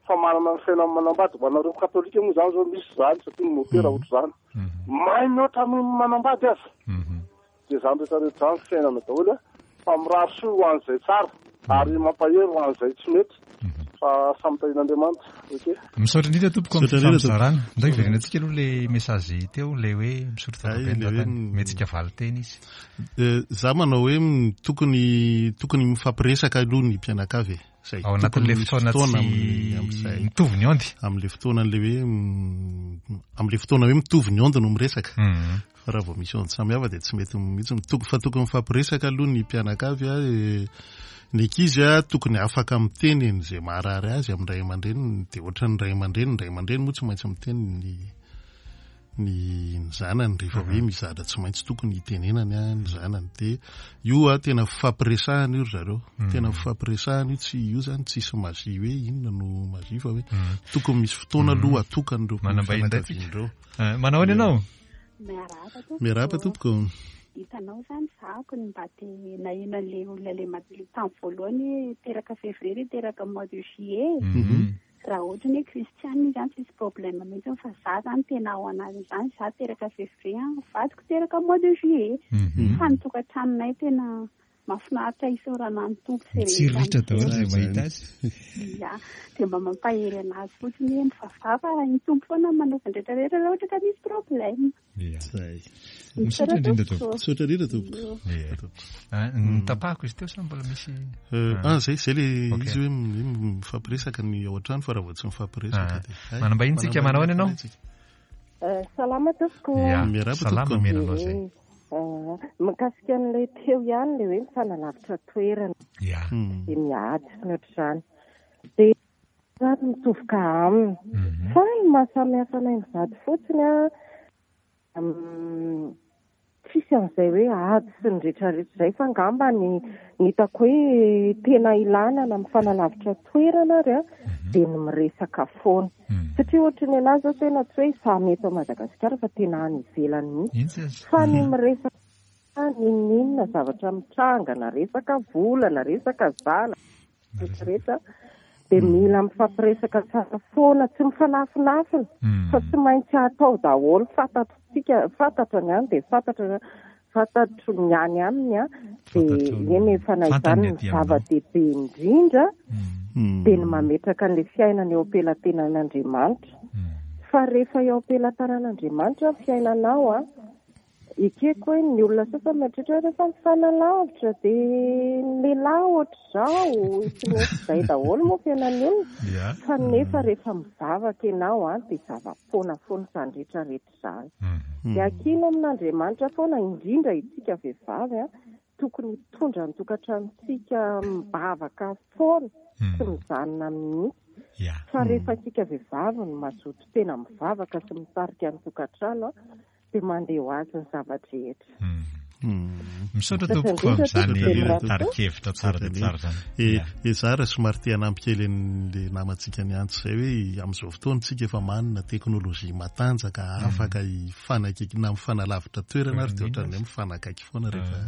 fa manana ny fiainany manambady. Ho anareo katolika moa zany zao misy zany satria ny mopera ohatr'izany mahay mihoatra noho ny manambady aza. Dia izany rehetra rehetra izany fiainana daholo fa mirary soa ho an'izay tsara ary mampahery ho an'izay tsy mety fa samy tahian'Andriamanitra. Ok. Misaotra indrindra tompoko amin'ny fifampizarana. Ndao hiverenantsika aloha le message teo le hoe misaotra tompoko be ny dadany. Mihetsika valin-teny izy. Za manao hoe tokony tokony mifampiresaka aloha ny mpianakavy e. Zay. Ao anatin'le fotoana tsy mitovy ny onde. Amin'le fotoana le hoe amin'le fotoana hoe mitovy ny onde no miresaka. Fa raha vao misy onde samihafa dia tsy mety mihitsy. Toko fa tokony mifampiresaka aloha ny mpianakavy a, ny ankizy a tokony afaka miteny an'izay maharary azy amin'ny ray aman-dreniny dia ohatran'ny ray aman-dreny, ny ray aman-dreny moa tsy maintsy miteny ny ny ny zanany rehefa hoe misy zavatra tsy maintsy tokony hitenenany a ny zanany dia io a tena fifampiresahana io ry zareo tena fifampiresahana io tsy io zany tsisy magie hoe inona no magie fa hoe tokony misy fotoana aloha atokan'ireo Manambahiny indray tsika. fianakavian'ireo. Manao ahoana ianao? Miarahaba tompoko. Miarahaba tompoko. Hitanao izany zahako ny mba te naheno an'ilay olona ilay ilay tamin'ny voalohany hoe teraka février teraka mois de juillet. Raha ohatra ny hoe kristianina izy an tsisy problème mihitsy fa za zany tena ao anatin'izany za teraka février an, vadiko teraka mois de juillet. Fa ny tokantranonay tena. Mahafinaritra isaorana ny Tompo izay rehetra Mitsiriritra daholo izay mahita azy. Ya, dia mba mampahery anazy fotsiny hoe mivavaha fa ny Tompo foana no manova ny rehetra rehetra raha ohatra ka misy problème. Ya. Zay. Misaotra indrindra tompoko. Misaotra indrindra tompoko. Ya. Notapahako izy teo sa mbola misy? Ah, zay, zay le Ok. izy hoe mifampiresaka ny ao an-trano fa raha vao tsy mifampiresaka Ah. dia. Hay, Manambahiny tsika, manao ahoana ianao? manambahiny tsika. Salama tompoko. Ya, Miarahaba salama tompoko. mena anao zay. Mikasika an'ilay teo ihany ilay hoe mifanalavitra toerana Ya. dia miady sy ny ohatr'izany. Dia izany mitovy ka aminy. Fa ny mahasamihafa anay mivady fotsiny an, tsisy an'izay hoe ady sy ny rehetrarehetra izay fa angamba ny ny hitako hoe tena ilana na mifanalavitra toerana ary an, dia ny miresaka foana. Satria ohatry ny an'ahy izao tena tsy hoe samy eto Madagasikara fa tena any ivelany mihitsy. Fa ny miresaka n'inon'inona zavatra mitranga na resaka vola na resaka zanaka rehetra rehetra dia mila mifampiresaka tsara foana, tsy mifanafinafina fa tsy maintsy atao daholo, fantatsika, fantatra ny any dia fantatra fantatro ny any aminy an, dia eny efa na izany ny zava-dehibe indrindra dia ny mametraka an'ilay fiainana eo am-pelatenan'Andriamanitra. Fa rehefa eo am-pelatanan'Andriamanitra ny fiainanao an, ekeko hoe ny olona sasany mieritreritra hoe rehefa mifanalavitra dia ny lehilahy ohatr'izao, tsy maintsy izay daholo moa fiainan'ny olona, fa nefa rehefa mivavaka ianao an, dia zava-poana foana izany rehetra rehetra izany. Dia ankino amin'Andriamanitra foana, indrindra isika vehivavy an, tokony hitondra ny tokantranontsika mivavaka foana, tsy mijanona mihitsy. Fa rehefa isika vehivavy no mazoto tena mivavaka sy mitarika ny tokantrano an, dia mandeha ho azy ny zava-drehetra. Misaotra tompoko amin'izany tari-kevitra tsara dia tsara izany. E, za raha somary te hanampy kely an'le namantsika niantso izay hoe amin'izao fotoana isika efa manana teknolojia matanjaka afaka hifanakaiky na mifanalavitra toerana ary dia ohatran'ny hoe mifanakaiky foana rehefa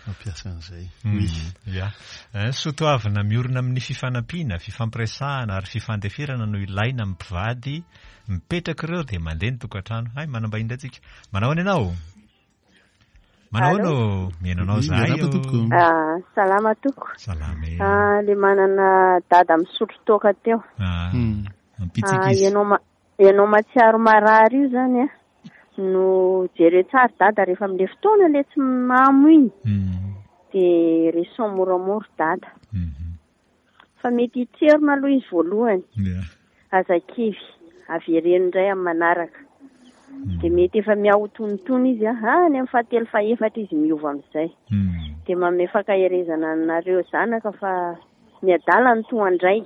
mampiasa an'izay. Oui. Ya. Soatoavina miorina amin'ny fifanampiana, fifampiresahana ary fifandeferana no ilaina amin'ny mpivady mipetraka ireo dia mandeha ny tokantrano. Hay, manambahiny indray tsika. Manao ahoana ianao? Manao ahoana ô? Mihaino anao izahay Miarahaba ô. tompoko. Ah, salama tompoko. Salama e. Ah, le manana dada misotro toaka teo. Ah, Hmm. ampitsika Ah, izy. ianao ma- ianao mahatsiaro marary io zany a. No jereo tsara dada rehefa amin'le fotoana le tsy mamo iny. Hmm. De resao moramora dada. Mhm. Fa mety hitserona aloha izy voalohany. Yeah. Aza kivy, avereno indray amin'ny manaraka. Dia mety efa miha-ho tonitony izy an, any amin'ny fahatelo fahefatra izy miova amin'izay. Dia manome fankaherezana anareo zanaka fa ny adala no toa an-dray.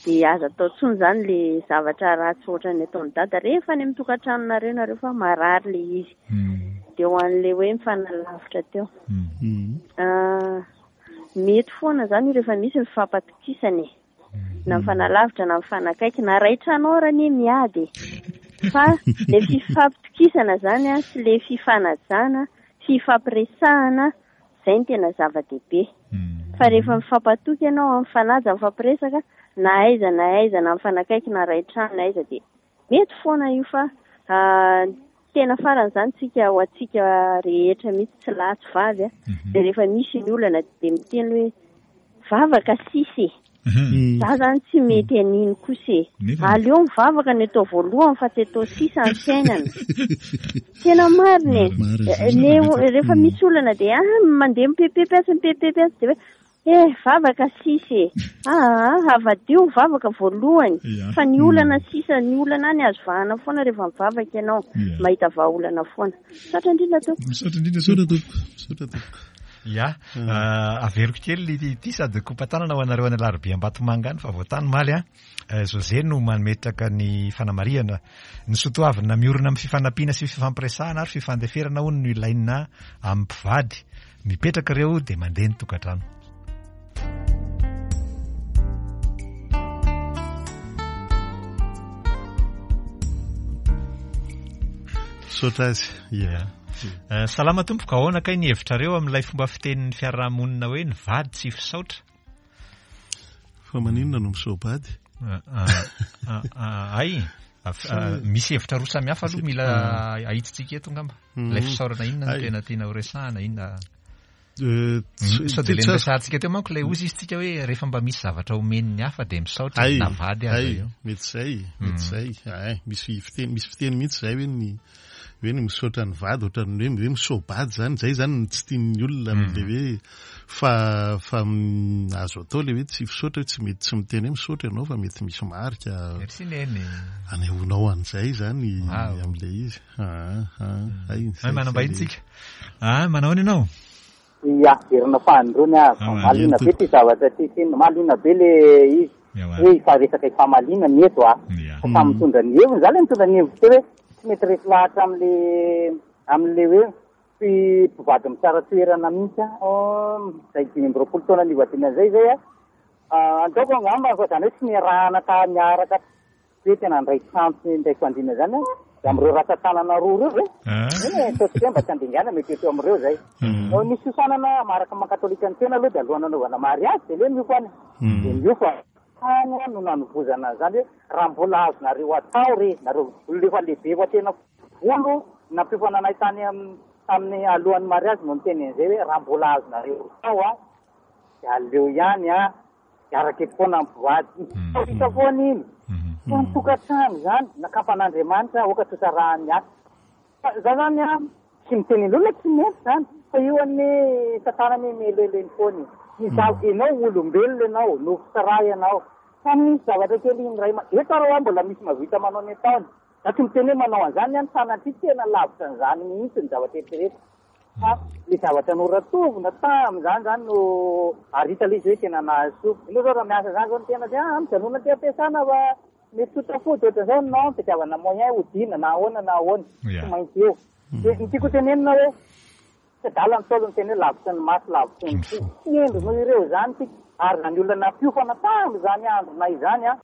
Dia aza atao intsony izany ilay zavatra ratsy ohatran'ny ataon'i dada rehefa any amin'ny tokantranonareo nareo fa marary ilay izy. Dia ho an'ilay hoe mifanalavitra teo. Mety foana izany io rehefa misy ny fifampatokisana e. Na mifanalavitra na mifanakaiky, na ray trano ara anie miady e. Fa le fifampitokisana zany an, sy le fifanajana, fifampiresahana, zay no tena zava-dehibe. Fa rehefa mifampatoky ianao, mifanaja, mifampiresaka, na aiza na aiza, na mifanakaiky na ray trano na aiza dia mety foana io fa tena farany izany tsika ho antsika rehetra mihitsy tsy lahy tsy vavy a, dia rehefa misy ny olana dia miteny hoe vavaka sisa e. Za zany tsy mety an'iny kosa e. Aleo mivavaka ny atao voalohany fa tsy atao sisa ny fiainana. Tena marina e. Le rehefa misy olana dia ah mandeha mipepepy atsy mipepepy atsy dia hoe Eh, vavaka sisa e. Aa, avadio ny vavaka voalohany. Fa ny olana sisa, ny olana any azo vahana foana rehefa mivavaka ianao. Mahita vahaolana foana. Misaotra indrindra tompoko. Misaotra indrindra Misaotra tompoko. Misaotra tompoko. Ya, averiko kely ity sady kopa-tanana ho anareo any Alarobia Ambatomanga any fa vao tany omaly an. José no mametraka ny fanamarihana. Ny soatoavina miorina amin'ny fifanampiana sy fifampiresahana ary fifandeferana hono no ilaina amin'ny mpivady. Mipetraka ireo dia mandeha ny tokantrano. Misaotra azy. Ya. Salama tompoko, ahoana kay ny hevitrareo amin'ilay fomba fitenin'ny fiarahamonina hoe ny vady tsy fisaotra? Fa maninona no misaobady? Ay, misy hevitra roa samihafa aloha mila ahitsitsika eto angamba. Ilay fisaorana inona no tena tiana ho resahana, inona? Sao dia ilay niresahantsika teo manko ilay hozy izy tsika hoe rehefa mba misy zavatra omen'ny hafa dia misaotra na vady aza io. Mety izay, mety izay. Ay, misy fiteny, misy fiteny mihitsy izay hoe ny hoe ny misaotra ny vady ohatran'ny hoe hoe misaobady izany, izay izany no tsy tian'ny olona amin'ilay hoe fa fa azo atao ilay hoe tsy fisaotra hoe tsy mety tsy miteny hoe misaotra ianao fa mety misy marika Merci Neny. anehoanao an'izay izany amin'ilay izy. Ah, ah, ay, izay, manambahiny tsika. Ah, manao ahoana ianao? Ia, verina fahandroany aho. Ah, Mahaliana be ty zavatra ty tsinona. Mahaliana be le izy. Hoe ifa resaka ifamaliana ny eto ah. Fa samy mitondra ny heviny. Za le mitondra ny hevitro teo hoe tsy mety resy lahatra amle amle hoe mpivady mitsara toerana mihitsy aho. Oh, zay 25 taona nivadiana zay zay ah. Ataoko angamba fa zany hoe tsy niarahana ta niaraka Hoe tena handray sampy indray fandriana izany an, dia amin'ireo ratsan-tanana roa ireo ve? Eny e, ataontsika hoe mba tsy handingana mety eo amin'ireo izay. No nisy fiofanana maharaka maha katolika ny tena aloha dia alohan'ny hanaovana mariazy dia le miofana. Dia miofana. Tany no nanovozana an'izany hoe raha mbola azonareo atao re, nareo olona efa lehibe efa tena volo nampiofana anay tany tamin'ny alohan'ny mariazy no niteny an'izay hoe raha mbola azonareo atao an, dia aleo ihany an, Miaraka eto foana ny mpivady. Hita foana iny. Fa ny tokantrano izany, nakampan'Andriamanitra, aoka tsy ho sarahan'ny hafa. Fa za zany an, tsy miteny an'olona tsy mety izany. Fa io anie satana anie mihelelo eny foana e. Ny za, ianao olombelona ianao, nofo sy ra ianao. Fa misy zavatra kely indray ma, eto ary hoa mbola misy mahavita manao ny ataony. Za tsy miteny hoe manao an'izany an, sanatria tena lavitra an'izany mihitsy ny zavatra eritreretiko. Fa le zavatra noratovina tamin'izany zany no ary hita le izy hoe tena nahasoa. Ianao zao raha miasa zany zao ny tena dia ah mijanona aty am-piasana fa mety tsy ho tafody ohatran'izao non fitiavana moyen hodiana na ahoana na ahoana tsy maintsy eo. Dia ny tiako hotenenina hoe tsy adala ny Ntaolo niteny hoe lavitry ny maso lavitry ny fo. Tsy hendry noho ireo izany isika ary izany olona nampiofana tamin'izany andronay izany an,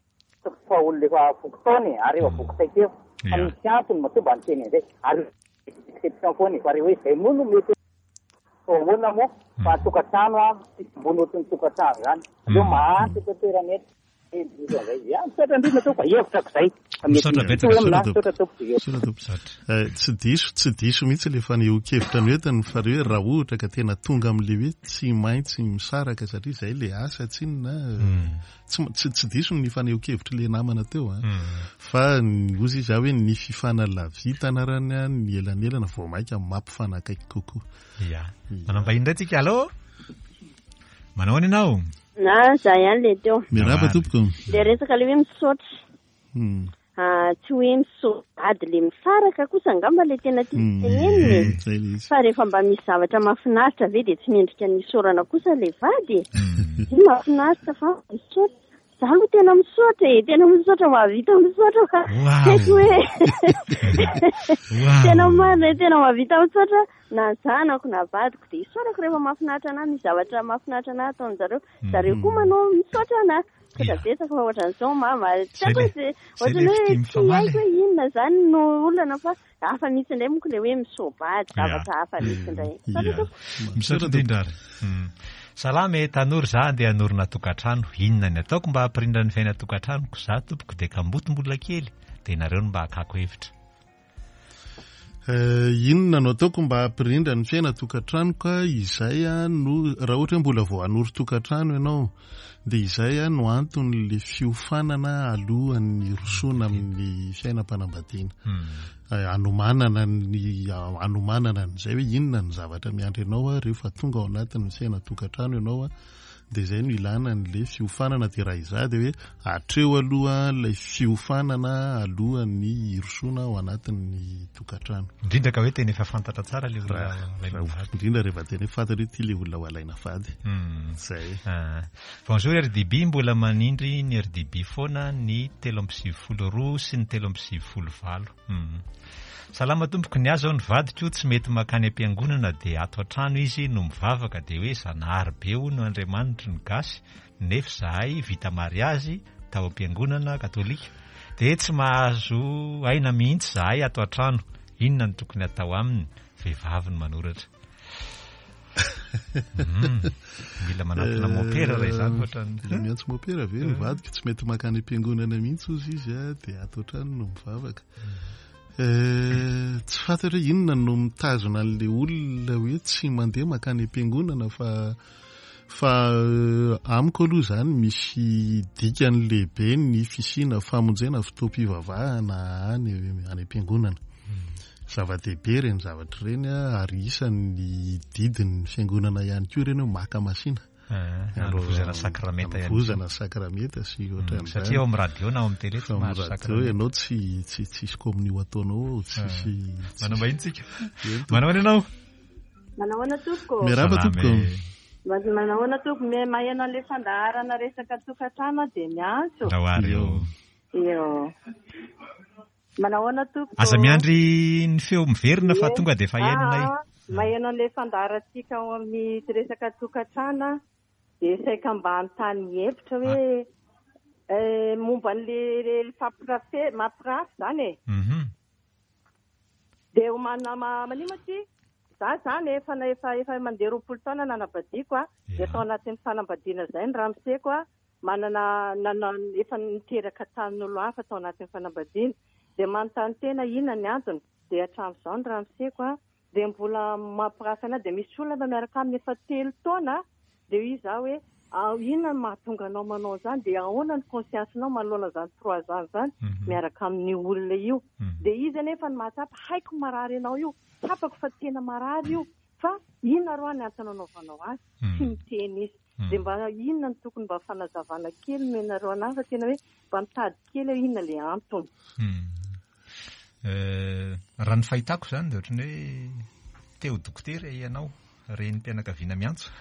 fa olona efa voky taona e ary efa voky traikefa fa misy antony matoa mba niteny an'izay ary Exception foana e, fa re hoe izay moa no mety atao ahoana moa fa tokantrano an, tsisy ambony ohatry ny tokantrano izany, aleo maharitra eto an-toerana eto, Ya, misaotra indrindra tompoko, hevitrako izay. Fa mety Misaotra misy betsaka, hoe misaotra aminà, misaotra tompoko. Misaotra tompoko. Misaotra. Eh, tsy diso, tsy diso mihitsy ilay fanehoan-kevitra noentiny fa re hoe raha ohatra ka tena tonga amin'ilay hoe tsy maintsy misaraka satria izay ilay asa tsinona, Tsy tsy tsy diso ny fanehoan-kevitr'ilay namana teo a. Fa ny hozy izy aho hoe ny fifanalavitana arany a, ny elanelana vao mainka mampifanakaiky kokoa. Ya. Manam-bahiny indray tsika. Allô? Manao ahoana ianao? Na za ihany le teo. Miarahaba tompoko. Le resaka le hoe misaotra. Tsy hoe misaotra le misaraka kosa angamba le tena tiako tenenina e. Fa rehefa mba misy zavatra mahafinaritra ve dia tsy mendrika ny isaorana kosa le vady e. Io mahafinaritra fa misaotra. Za aloha tena misaotra e, tena misaotra mahavita misaotra fa tsy haiko hoe tena marina e, tena mahavita misaotra na zanako na vadiko dia isaorako rehefa mahafinaritra anah, misy zavatra mahafinaritra anah ataon-jareo, zareo koa manao misaotra anah. Misaotra betsaka fa ohatran'izao mama. Tsy haiko hoe Zay ohatran'ny le hoe fitia tsy mifamaly haiko e. hoe inona izany no olana fa hafa mihitsy indray monko ilay hoe misoa-bady, zavatra hafa mihitsy indray. Misaotra Ya. tompoko. Misaotra indrindra ary. Salama e, tanora za andeha hanorina tokantrano, inona ny ataoko mba hampirindra ny fiainan-tokantranoko, za tompoko dia kamboty mbola kely, dia nareo no mba hakako hevitra. Inona no ataoko mba hampirindra ny fiainan-tokantranoko? Izay no, raha ohatra hoe mbola vao hanorin-tokantrano ianao, dia izay no anton'ilay fiofanana alohan'ny hirosoana amin'ny fiainam-panambadiana. Hanomanana ny, hanomanana an'izay hoe inona ny zavatra miandry anao rehefa tonga ao anatin'ny fiainan-tokantrano ianao. Dia izay no ilana an'ilay fiofanana dia raha izaho dia hoe hatreo aloha ilay fiofanana alohan'ny hirosoana ao anatin'ny tokantrano. Indrindra ka hoe tena efa fantatra tsara ilay olona alaina vady. Indrindra rehefa tena hoe fantatra hoe ity ilay olona ho alaina vady. Izay. Bonjour rdb, mbola manindry ny rdb foana ny 93 sy ny 93 8. Salama tompoko, ny ahy zao ny vadiko tsy mety makany am-piangonana dia ato an-trano izy no mivavaka dia hoe Zanahary be hono Andriamanitry ny gasy nefa izahay vita mariazy tao am-piangonana katolika dia tsy mahazo aina mihitsy izahay ato an-trano, inona no tokony atao aminy? Vehivavy no manoratra. Mila manatona mopera raha izany ohatran'ny. Mila miantso mopera ve ny vadiko? Tsy mety makany am-piangonana mihitsy hozy izy dia ato an-trano no mivavaka. Tsy fantatra hoe inona no mitazona an'ilay olona hoe tsy mandeha mankany am-piangonana fa fa amiko aloha izany misy dikany lehibe ny fisiana famonjena fotoam-pivavahana any any am-piangonana. Zava-dehibe ireny zavatra ireny ary isan'ny didin'ny fiangonana ihany koa ireny hoe maka masina. Anovozana sakramenta ihany. Anovozana sakramenta sy ohatran'izany. Satria ao amin'ny radio na ao amin'ny télé tsy mahazo sakramenta. Radio ianao tsy tsy tsisy communio ataonao ao, tsisy. Manao vahiny tsika. Manao ahoana ianao? Manao ahoana tompoko? Miarahaba tompoko. Manao ahoana tompoko? Maheno an'ilay fandaharana resaka tokantrano aho dia miantso. Ndao ary eo. Eo. Manao ahoana tompoko? Aza miandry ny feo miverina fa tonga dia efa henonay. Aa, maheno an'ilay fandaharantsika ao amin'ny resaka tokantrano aho dia saika mba hanontany hevitra hoe eh, momba an'ilay fampirafe, mampirafy izany e. Dia manana manino moa ity? Za zany efa efa efa mandeha 20 taona nanambadiako a, dia tao anatin'ny fanambadiana izay ny ramoseko a, manana nana efa niteraka tamin'olo hafa tao anatin'ny fanambadiana dia manontany tena inona ny antony dia hatramin'izao ny ramoseko a dia mbola mampirafy anah dia misy olona miaraka aminy efa telo taona dia hoy izaho hoe inona no mahatonga anao manao izany dia ahoana ny conscience-nao manoloana izany trois ans izany miaraka amin'io olona io dia izy anefa no mahatsapa haiko marary anao io tsapako fa tena marary io fa inona roa ny antony anaovanao azy tsy miteny izy Dia mba inona no tokony mba fanazavana kely omenareo anah fa tena hoe mba mitady kely aho inona le antony. Raha ny fahitako izany dia ohatran'ny hoe te ho dokotera ianao, renim-pianakaviana miantso,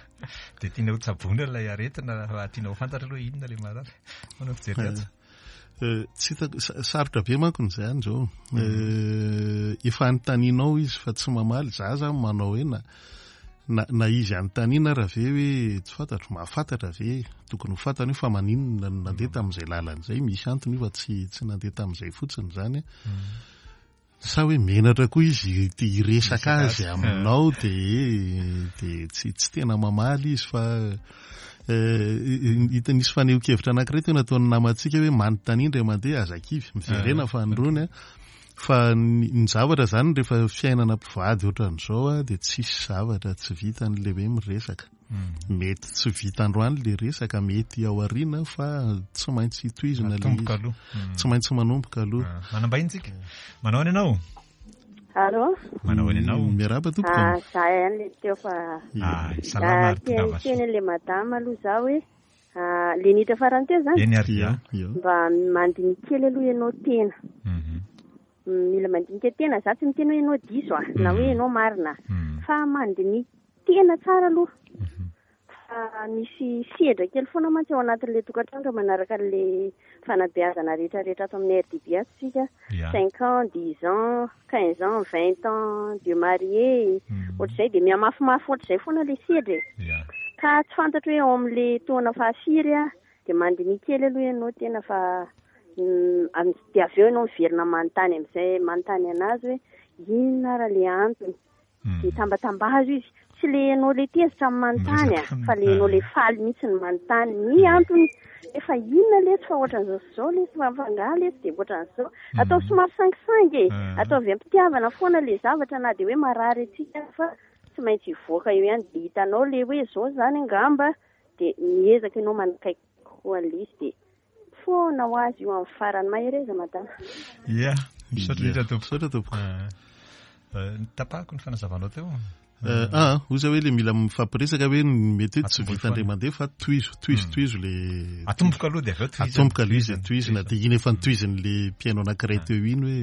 dia tiana ho tsaboina ilay aretina fa tiana ho fantatra aloha inona ilay marary. Ahoana ny fijery azy? Tsy hitako, sarotra be manko ny izany izao. Efa anontanianao izy fa tsy mamaly, za zany manao hoe na na na izy anontaniana ara ve hoe tsy fantatro, mahafantatra ve, tokony ho fantany io fa maninona no nandeha tamin'izay lalana izay, misy antony io fa tsy tsy nandeha tamin'izay fotsiny izany. Sa hoe menatra koa izy te hiresaka azy aminao dia dia tsy tsy tena mamaly izy fa hita nisy fanehoan-kevitra anankiray teo nataon'ny namantsika hoe manontania indray mandeha aza kivy miverena fanindroany a fa ny zavatra zany rehefa fiainana mpivady ohatran'izao a dia tsisy zavatra tsy vitan'ilay hoe miresaka. Mety tsy vita androany le resaka, mety ao aoriana fa tsy maintsy tohizina le Manomboka aloha. Tsy maintsy manomboka aloha. Ah, manambahiny tsika. Manao ahoana ianao? Allô? Manao ahoana ianao? Miarahaba tompoko. Ah, za ihany le teo fa Ah, salama ary tongava soa. Teny le madama aloha za hoe ah, le niditra farany teo zany. Eny ary ya. Mba mandinika kely aloha ianao tena. Mila mandinika tena, za tsy miteny hoe ianao diso ah, na hoe ianao marina fa mandinika tena tsara aloha fa misy sedra kely foana mantsy ao anatin'ilay tokantrano raha manaraka an'ilay fanabeazana rehetra rehetra ato amin'ny RDB ato isika, cinq ans, dix ans, quinze ans, vingt ans de marié, ohatr'izay dia mihamafimafy ohatr'izay foana ilay sedra e. Ka tsy fantatro hoe ao amin'ilay taona fahafiry ah, dia mandinika kely aloha ianao tena fa dia avy eo ianao miverina manontany amin'izay manontany an'azy hoe inona ary ilay antony. Dia tambatambazo izy. Tsy le ianao le tezitra ny manontany a, fa le ianao le faly mihitsy ny manontany ny antony. Efa inona lesy fa ohatran'izao sy izao lesy fa angaha lesy dia ohatran'izao. Ataovy somary sangisangy e. Ataovy am-pitiavana foana le zavatra na dia hoe marary antsika aza fa tsy maintsy hivoaka eo ihany. Dia hitanao le hoe izao izany angamba dia miezaka ianao manakaiky kokoa an'ilay izy dia Foana ho azy io amin'ny farany. Mahereza madama. Ia, misaotra indrindra tompoko. Misaotra tompoko. Tapahako ny fanazavanao teo. Ah, hoy za hoe le mila mifampiresaka hoe mety hoe tsy vita indray mandeha fa tohizo, tohizo, tohizo le Atomboka aloha dia avy eo tohizana. Atomboka aloha izy tohizina dia iny efa notohizin'le mpihaino anankiray teo iny hoe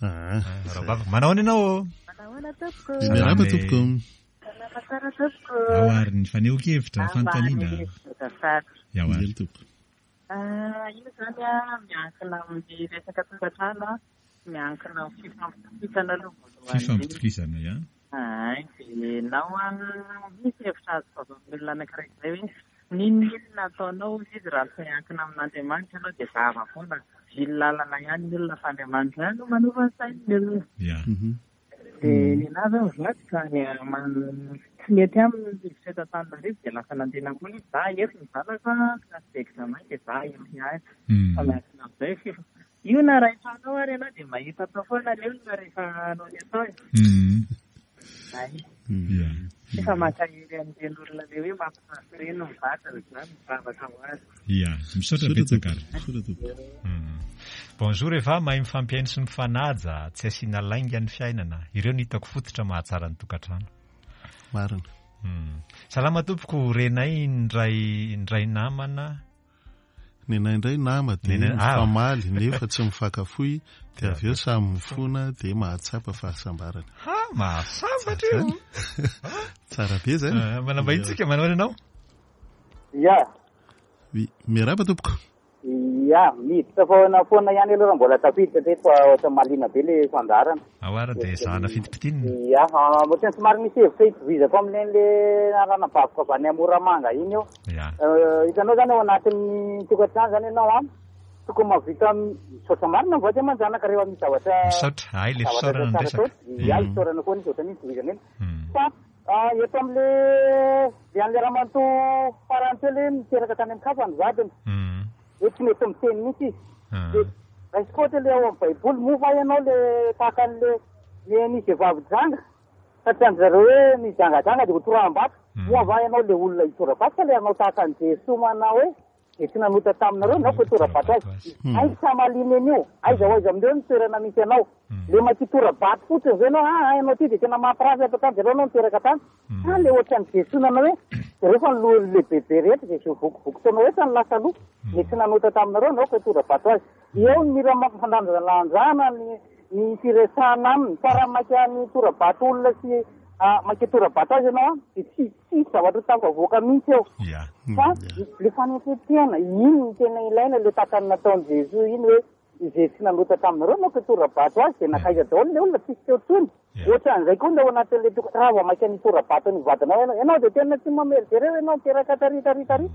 ah. Rahavavy, manao ahoana ianao? Manao ahoana tompoko? Miarahaba tompoko. Salama tsara tompoko. Ao ary ny fanehoan-kevitra, fanontaniana. Ao ary tompoko. Io izany miankina amin'ny resaka tokantrano, miankina amin'ny fifampitokisana aloha voalohany. Fifampitokisana, ya. Hay, dia ianao misy hevitra azoko avy amin'ny olona anankiray izay hoe n'inon'inona ataonao hozy izy raha tsy miankina amin'Andriamanitra ianao dia zava-poana, vily lalana ihany ny olona fa Andriamanitra ihany no manova ny sain'ny olona. Ya. Dia nenaha zao ny vadiko ka ny tsy mety aminy ny rivotra eto Antananarivo dia lasa nandeha namboly izy, za eto ny zanako an, classe d'examen dia za eto ihany. Fa miankina amin'izay Io na ray trano ao ary ianao dia mahita atao foana le olona rehefa hanao ny atao e. Zay. Efa mankahery an'ireny olona le hoe mampirafy ireny ny vadiny zany, mivavaka ho azy. Ia, misaotra betsaka ary. Bonjour Eva, mahay mifampihaino sy mifanaja, tsy asiana lainga ny fiainana. Ireo no hitako fototra mahatsara ny tokantrano. Marina. Salama tompoko, renay indray indray namana. Nenay indray nama dia mifamaly nefa tsy mifankafoy dia avy eo samy mifona dia mahatsapa fahasambarana. Ha, mahasambatra io. Tsara be zany. Ah, manambahiny tsika, manao ianao? Ya. Oui, miarahaba tompoko. Ya, miditra foana foana ihany aloha raha mbola tafiditra teto fa ohatran'ny mahaliana be le fandaharana. Ao ary dia ezahana fintimpitinina. Ya, ohatran'ny somary misy hevitra itovizako amin'ilay ranabaviko avy any Moramanga iny eo. Ya. Hitanao zany ao anatin'ny tokantrano zany ianao an, tokony mahavita misaotra marina ny vady aman-janaka rehefa misy zavatra Misaotra, hay le zavatra fisaorana ny tsara resaka. atao. Ya, isaorana foana izy ohatran'iny tohizana iny. Fa eto amin'le le an'le ramatoa farany teo le niteraka tany amin-kafa ny vadiny. Hoe tsy mety miteny mihitsy izy. Dia raisiko ohatra le ao amin'ny baiboly, moa va ianao le tahaka an'le le nisy vehivavy janga? Fa tsy an-dry zareo hoe mijangajanga dia ho toraham-bato. Moa va ianao ilay olona hitora-bato sa ilay hanao tahaka an'i Jesoa manao hoe izay tsy nanota taminareo no aoka hitora-bato azy? Aiza hamaliana an'io? Aiza ho aiza amin'ireo ny toerana misy anao? Ilay makitora-bato fotsiny ve ianao, aa ianao ity dia tena mampirafy ato an-tany, jereo ianao niteraka tany. Sa ilay ohatran'i Jesoa nanao hoe jereo fa ny lohan'ny lehibebe rehetra izay vokovoko taonao rehetra no lasa aloha, ilay tsy nanota taminareo no aoka hitora-bato azy. Eo ny mila mampifandanjalanjana ny ny firesahana aminy fa raha maika mitora-bato olona sy maika hitora-bato azy ianao an dia tsy tsisy zavatra ho tafavoaka mihitsy eo. Fa le fanetren-tena, iny no tena ilaina, le tahaka ny nataon'i Jesoa iny hoe izay tsy nanota taminareo no hitora-bato azy dia nankaiza daholo le olona, tsisy teo intsony. Ohatran'izay koa ny ao anatin'ilay tokantrano, raha vao maika nitora-bato ny vadinao ianao, ianao dia tena tsy mamely, jereo ianao niteraka tary tary tary.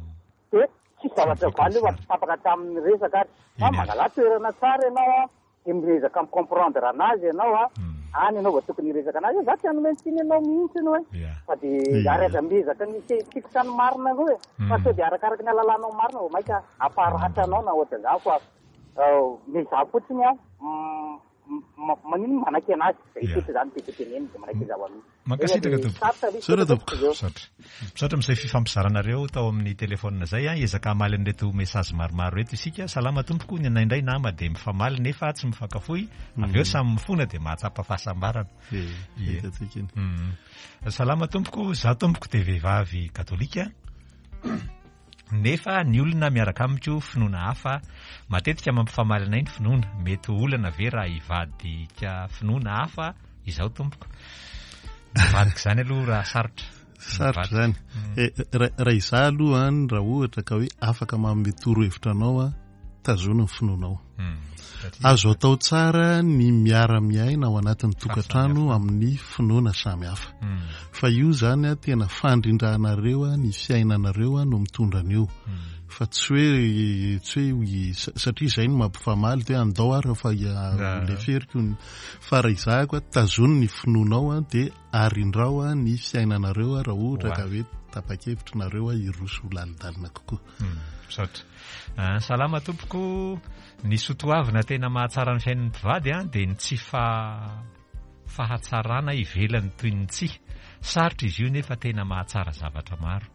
Dia tsisy zavatra valy eo fa tsy tapaka tamin'ny resaka ary. Fa mangalà toerana tsara ianao an, dia miezaka mi-comprendre anazy ianao an, any ianao vao tokony hiresaka anazy hoe za tsy hanome tsiny anao mihitsy hoe. Fa dia ary aza miezaka ny hifikitra ny marina aloha e. Fa sao dia arakaraky ny halalanao marina vao mainka hamparatra anao na ohatran'izany fa miezaha fotsiny an, maninona manaiky anazy, izay fotsiny izany no tiako tenenina dia manaiky zava-misy. Mankasitraka tompoko. Misaotra tompoko. Misaotra. Misaotra amin'izay fifampizaranareo tao amin'ny téléphone izay an. Hiezaka hamaly an'ireto message maromaro ireto isika. Salama tompoko, ny anay indray nama dia mifamaly nefa tsy mifankafoy, avy eo samy mifona dia mahatsapa fahasambarana. Ie. Hitantsika iny. Salama tompoko, za tompoko dia vehivavy katolika. Nefa ny olona miaraka amiko finoana hafa, matetika mampifamaly anay ny finoana, mety ho olana ve raha hivadika finoana hafa izaho tompoko? Mivadika izany aloha raha sarotra. Sarotra izany. Eh, raha izaho aloha an, raha ohatra ka hoe afaka manome torohevitra anao aho, tazony ny finoanao. Hmm. Azo atao tsara ny miara-miaina ao anatin'ny tokantrano amin'ny finoana samy hafa. Hmm. Fa io zany a tena fandrindranareo ny fiainanareo no mitondra an'io. Hmm. Fa tsy hoe tsy hoe satria izay no mampifamaly hoe andao ary fa leferiko fa raha izahako a tazony ny finoanao a dia arindrao ny fiainanareo raha ohatra ka hoe tapa-kevitra nareo hiroso lalindalina kokoa. Misaotra. Ah, salama tompoko, ny sotoavina tena mahatsara ny fiainan'ny mpivady an, dia ny tsy fa fahatsarana ivelany toy ny tsihy. Sarotra izy io nefa tena mahatsara zavatra maro.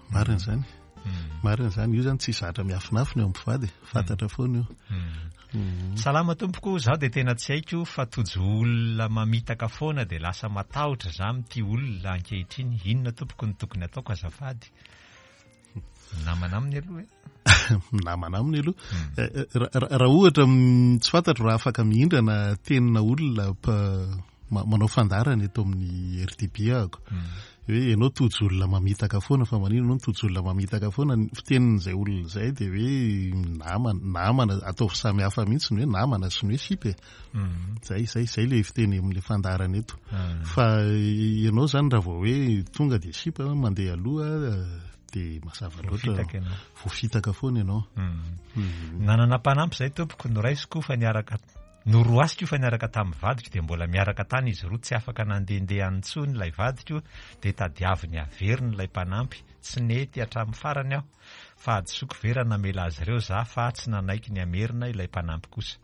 Marina izany. Hmm. Marina izany, io izany tsy zatra miafinafina eo amin'ny mpivady, fantatra foana io. Hmm. Hmm. Salama tompoko, zaho dia tena tsy haiko fa tojo olona mamitaka foana dia lasa matahotra za mitia olona ankehitriny. Inona tompoko no tokony ataoko azafady? Namana aminy aloha e. Namana aminy aloha. Hmm. Eh, eh, raha ohatra mm, tsy fantatro raha afaka mihindrana tenina olona manao fandaharana eto amin'ny RTB ahako. Hmm. Hoe ianao tojo olona mamitaka foana fa maninona ianao tojo olona mamitaka foana ny fitenin'izay olona izay dia hoe namana namana ataovy samy hafa mihitsy ny hoe namana sy ny hoe sipa e. Zay, zay, zay le fiteny amin'le fandaharana eto. Ah. Fa ianao zany raha vao hoe tonga dia sipa mandeha aloha dia mazava loatra voafitaka foana ianao. Hmm. Hmm. Nanana mpanampy zay tompoko noraisiko fa niaraka noroasiko fa niaraka tamin'ny vadiko dia mbola miaraka tany izy roa tsy afaka nandehandeha intsony ilay vadiko dia tadiaviny averiny ilay mpanampy tsy nety hatramin'ny farany aho. Fahadisoako ve raha namela azy ireo za fa tsy nanaiky ny hamerina ilay mpanampy kosa?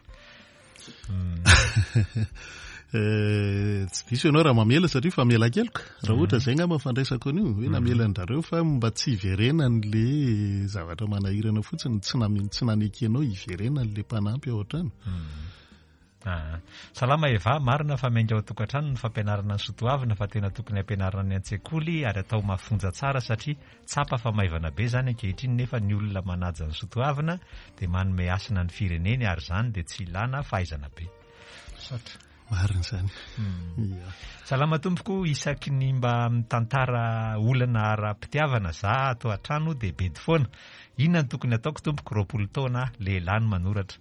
Eh, tsy diso ianao raha mamela satria famelan-keloka. Raha ohatra izay angamba fandraisako an'io, hoe namela an-drareo fa mba tsy hiverenan'le zavatra manahirana fotsiny, tsy name- tsy nanekenao hiverenan'le mpanampy ao an-trano. Ah. Salama Eva, marina fa miainga ao an-tokantrano ny fampianarana ny soatoavina fa tena tokony ampianarina any an-tsekoly ary atao mafonja tsara satria tsapa fa maivana be izany ankehitriny nefa ny olona manaja ny soatoavina dia manome hasina ny fireneny ary izany dia tsy ilana fahaizana be. Misaotra. Marina izany. Ia. Salama tompoko, isaky ny mba mitantara olana ara-pitiavana za ato an-trano dia bedy foana. Inona no tokony ataoko tompoko, 20 taona aho, lehilahy no manoratra.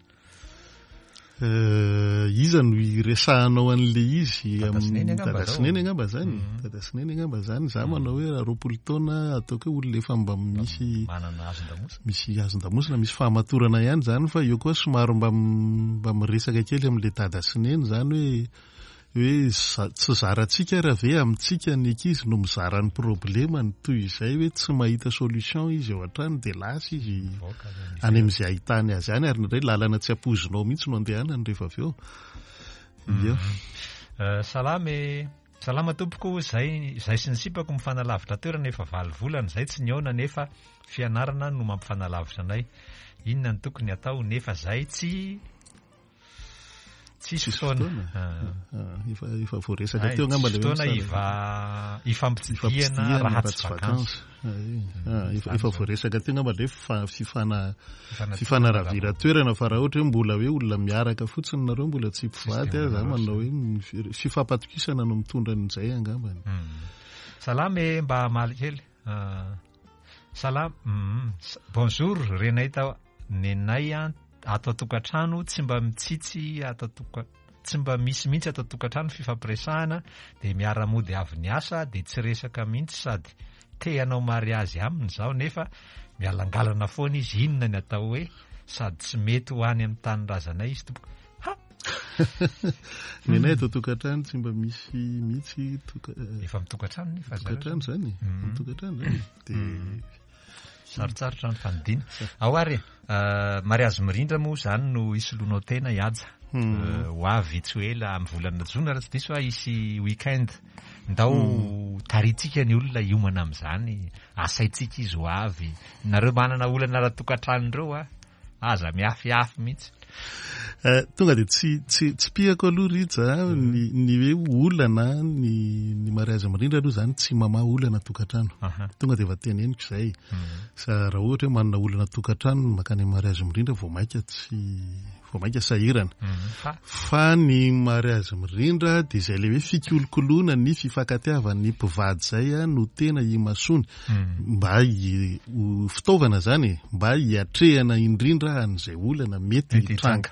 Eh, iza no iresahanao an'le izy? Dada sy neny angamba Dada sy neny angamba zany. Mhm. Dada sy neny angamba zany. Za manao hoe raha 20 taona ataoko hoe olona efa mba misy manana hazon-damosina. Misy hazon-damosina, misy fahamatorana ihany zany fa eo koa somary mba mba miresaka kely amin'le dada sy neny zany hoe hoe tsy zarantsika ary ve amintsika ny ankizy no mizara ny problemany toy izay hoe tsy mahita solution izy ao an-trano dia lasa izy any amin'izay ahitany azy any ary indraindray lalana tsy ampoizinao mihitsy no andehanany rehefa avy eo. Ia. Salama e! Salama tompoko, zay zay sy ny sipako mifanalavitra toerana efa valo volana zay tsy nihaona nefa fianarana no mampifanalavitra anay. Inona no tokony atao nefa zay tsy Tsisy fotoana. Ah. Efa efa voaresaka teo angamba le fotoana iva ifampitsidihana raha tsy vacances. Ah, efa efa voaresaka teo angamba le fifana fifanaravira toerana fa raha ohatra hoe mbola hoe olona miaraka fotsiny nareo mbola tsy mpivady ah, za manao hoe fifampatokisana no mitondra an'izay angambany. Hmm. Salama e, mba hamaly kely. Ah, salama. Hmm. Bonjour, renay tao nenay an Ato an-tokantrano tsy mba mitsitsy ato an-toka tsy mba misy mihitsy ato an-tokantrano fifampiresahana dia miara-mody avy niasa dia tsy resaka mihitsy sady te hanao mariazy aminy zaho nefa mialangalana foana izy inona ny atao hoe sady tsy mety ho any amin'ny tanindrazanay izy tompoko ha Nenay ato an-tokantrano tsy mba misy mihitsy toka efa mitokantrano nefa tokantrano zany mm. mitokantrano zany dia mm. Sarotsarotra ny fanidiana. Ao ary e, mariazy mirindra moa izany no hisoloanao tena i Haja. Ho avy tsy ho ela amin'ny volana jona raha tsy diso aho hisy week-end. Ndao tarihintsika ny olona hiomana amin'izany, asaintsika izy ho avy. Nareo manana olana ara-tokantrano ireo a, aza miafiafy mihitsy. Eh, tonga dia tsy tsy tsipihako aloha Rija a, ny ny hoe olana ny ny mariazy mirindra aloha izany tsy mamaha olana tokantrano. Tonga dia efa teneniko izay. Sa raha ohatra hoe manana olana tokantrano mankany amin'ny mariazy mirindra vao mainka tsy vao mainka sahirana. Fa? Fa ny mariazy mirindra dia izay ilay hoe fikolokoloana ny fifankatiavan'ny mpivady izay no tena imasoany. Mba ho fitaovana izany e, mba hiatrehana indrindra an'izay olana mety hitranga.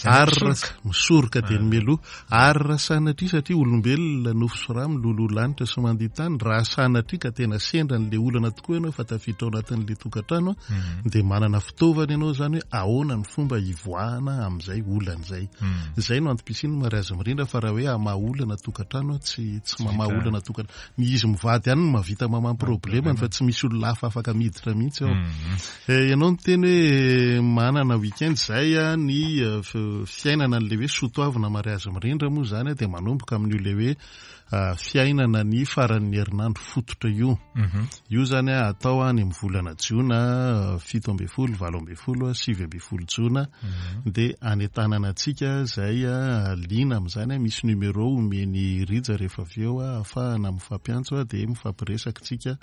Ary raha misoroka dia ny mialoha. Ary raha sanatria satria olombelona nofo sy rà miloloha lanitra sy mandia tany, raha sanatria ka tena sendra an'ilay olana tokoa ianao fa tafiditra ao anatin'ilay tokantrano dia manana fitaovana ianao izany hoe ahoana ny fomba hivoahana amin'izay olana izay. Izay no antom-pisian'ny mariazy mirindra fa raha hoe hamaha olana tokantrano tsy tsy mamaha olana tokantrano. Ny izy mivady ihany no mahavita mamaha ny problemany fa tsy misy olona hafa afaka miditra mihitsy ao. Eh, ianao niteny hoe manana week-end izay ny eh, fiainana an'ilay hoe soatoavina mariazy mirindra moa izany dia manomboka amin'io ilay hoe ah, fiainana ny faran'ny herinandro fototra io. Mhm. Io izany atao any amin'ny volana jona 17, 18, 19 jona mhm. dia anentanana antsika izay liana amin'izany, misy numéro omen'i Rija rehefa avy eo ahafahana mifampiantso dia mifampiresaka isika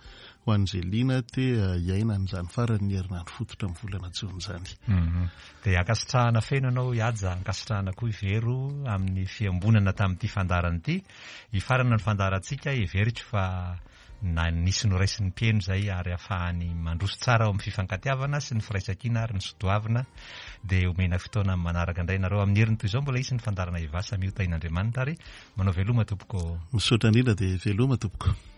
ho an'izay liana te hiaina an'izany faran'ny herinandro fototra amin'ny volana jona izany. Mhm. Dia ankasitrahana feno ianao i Haja, ankasitrahana koa i Vero amin'ny fiambonana tamin'ity fandaharana ity. Hifarana ny fandaharantsika, heveriko fa na nisy noraisin'ny mpihaino izay ary ahafahany mandroso tsara ao amin'ny fifankatiavana sy ny firaisankina ary ny sotoavina dia omena fotoana amin'ny manaraka indray nareo amin'ny heriny toy izao mbola hisy ny fandaharana Eva samia ho tahin'Andriamanitra ary manao veloma tompoko. Misaotra indrindra dia veloma tompoko.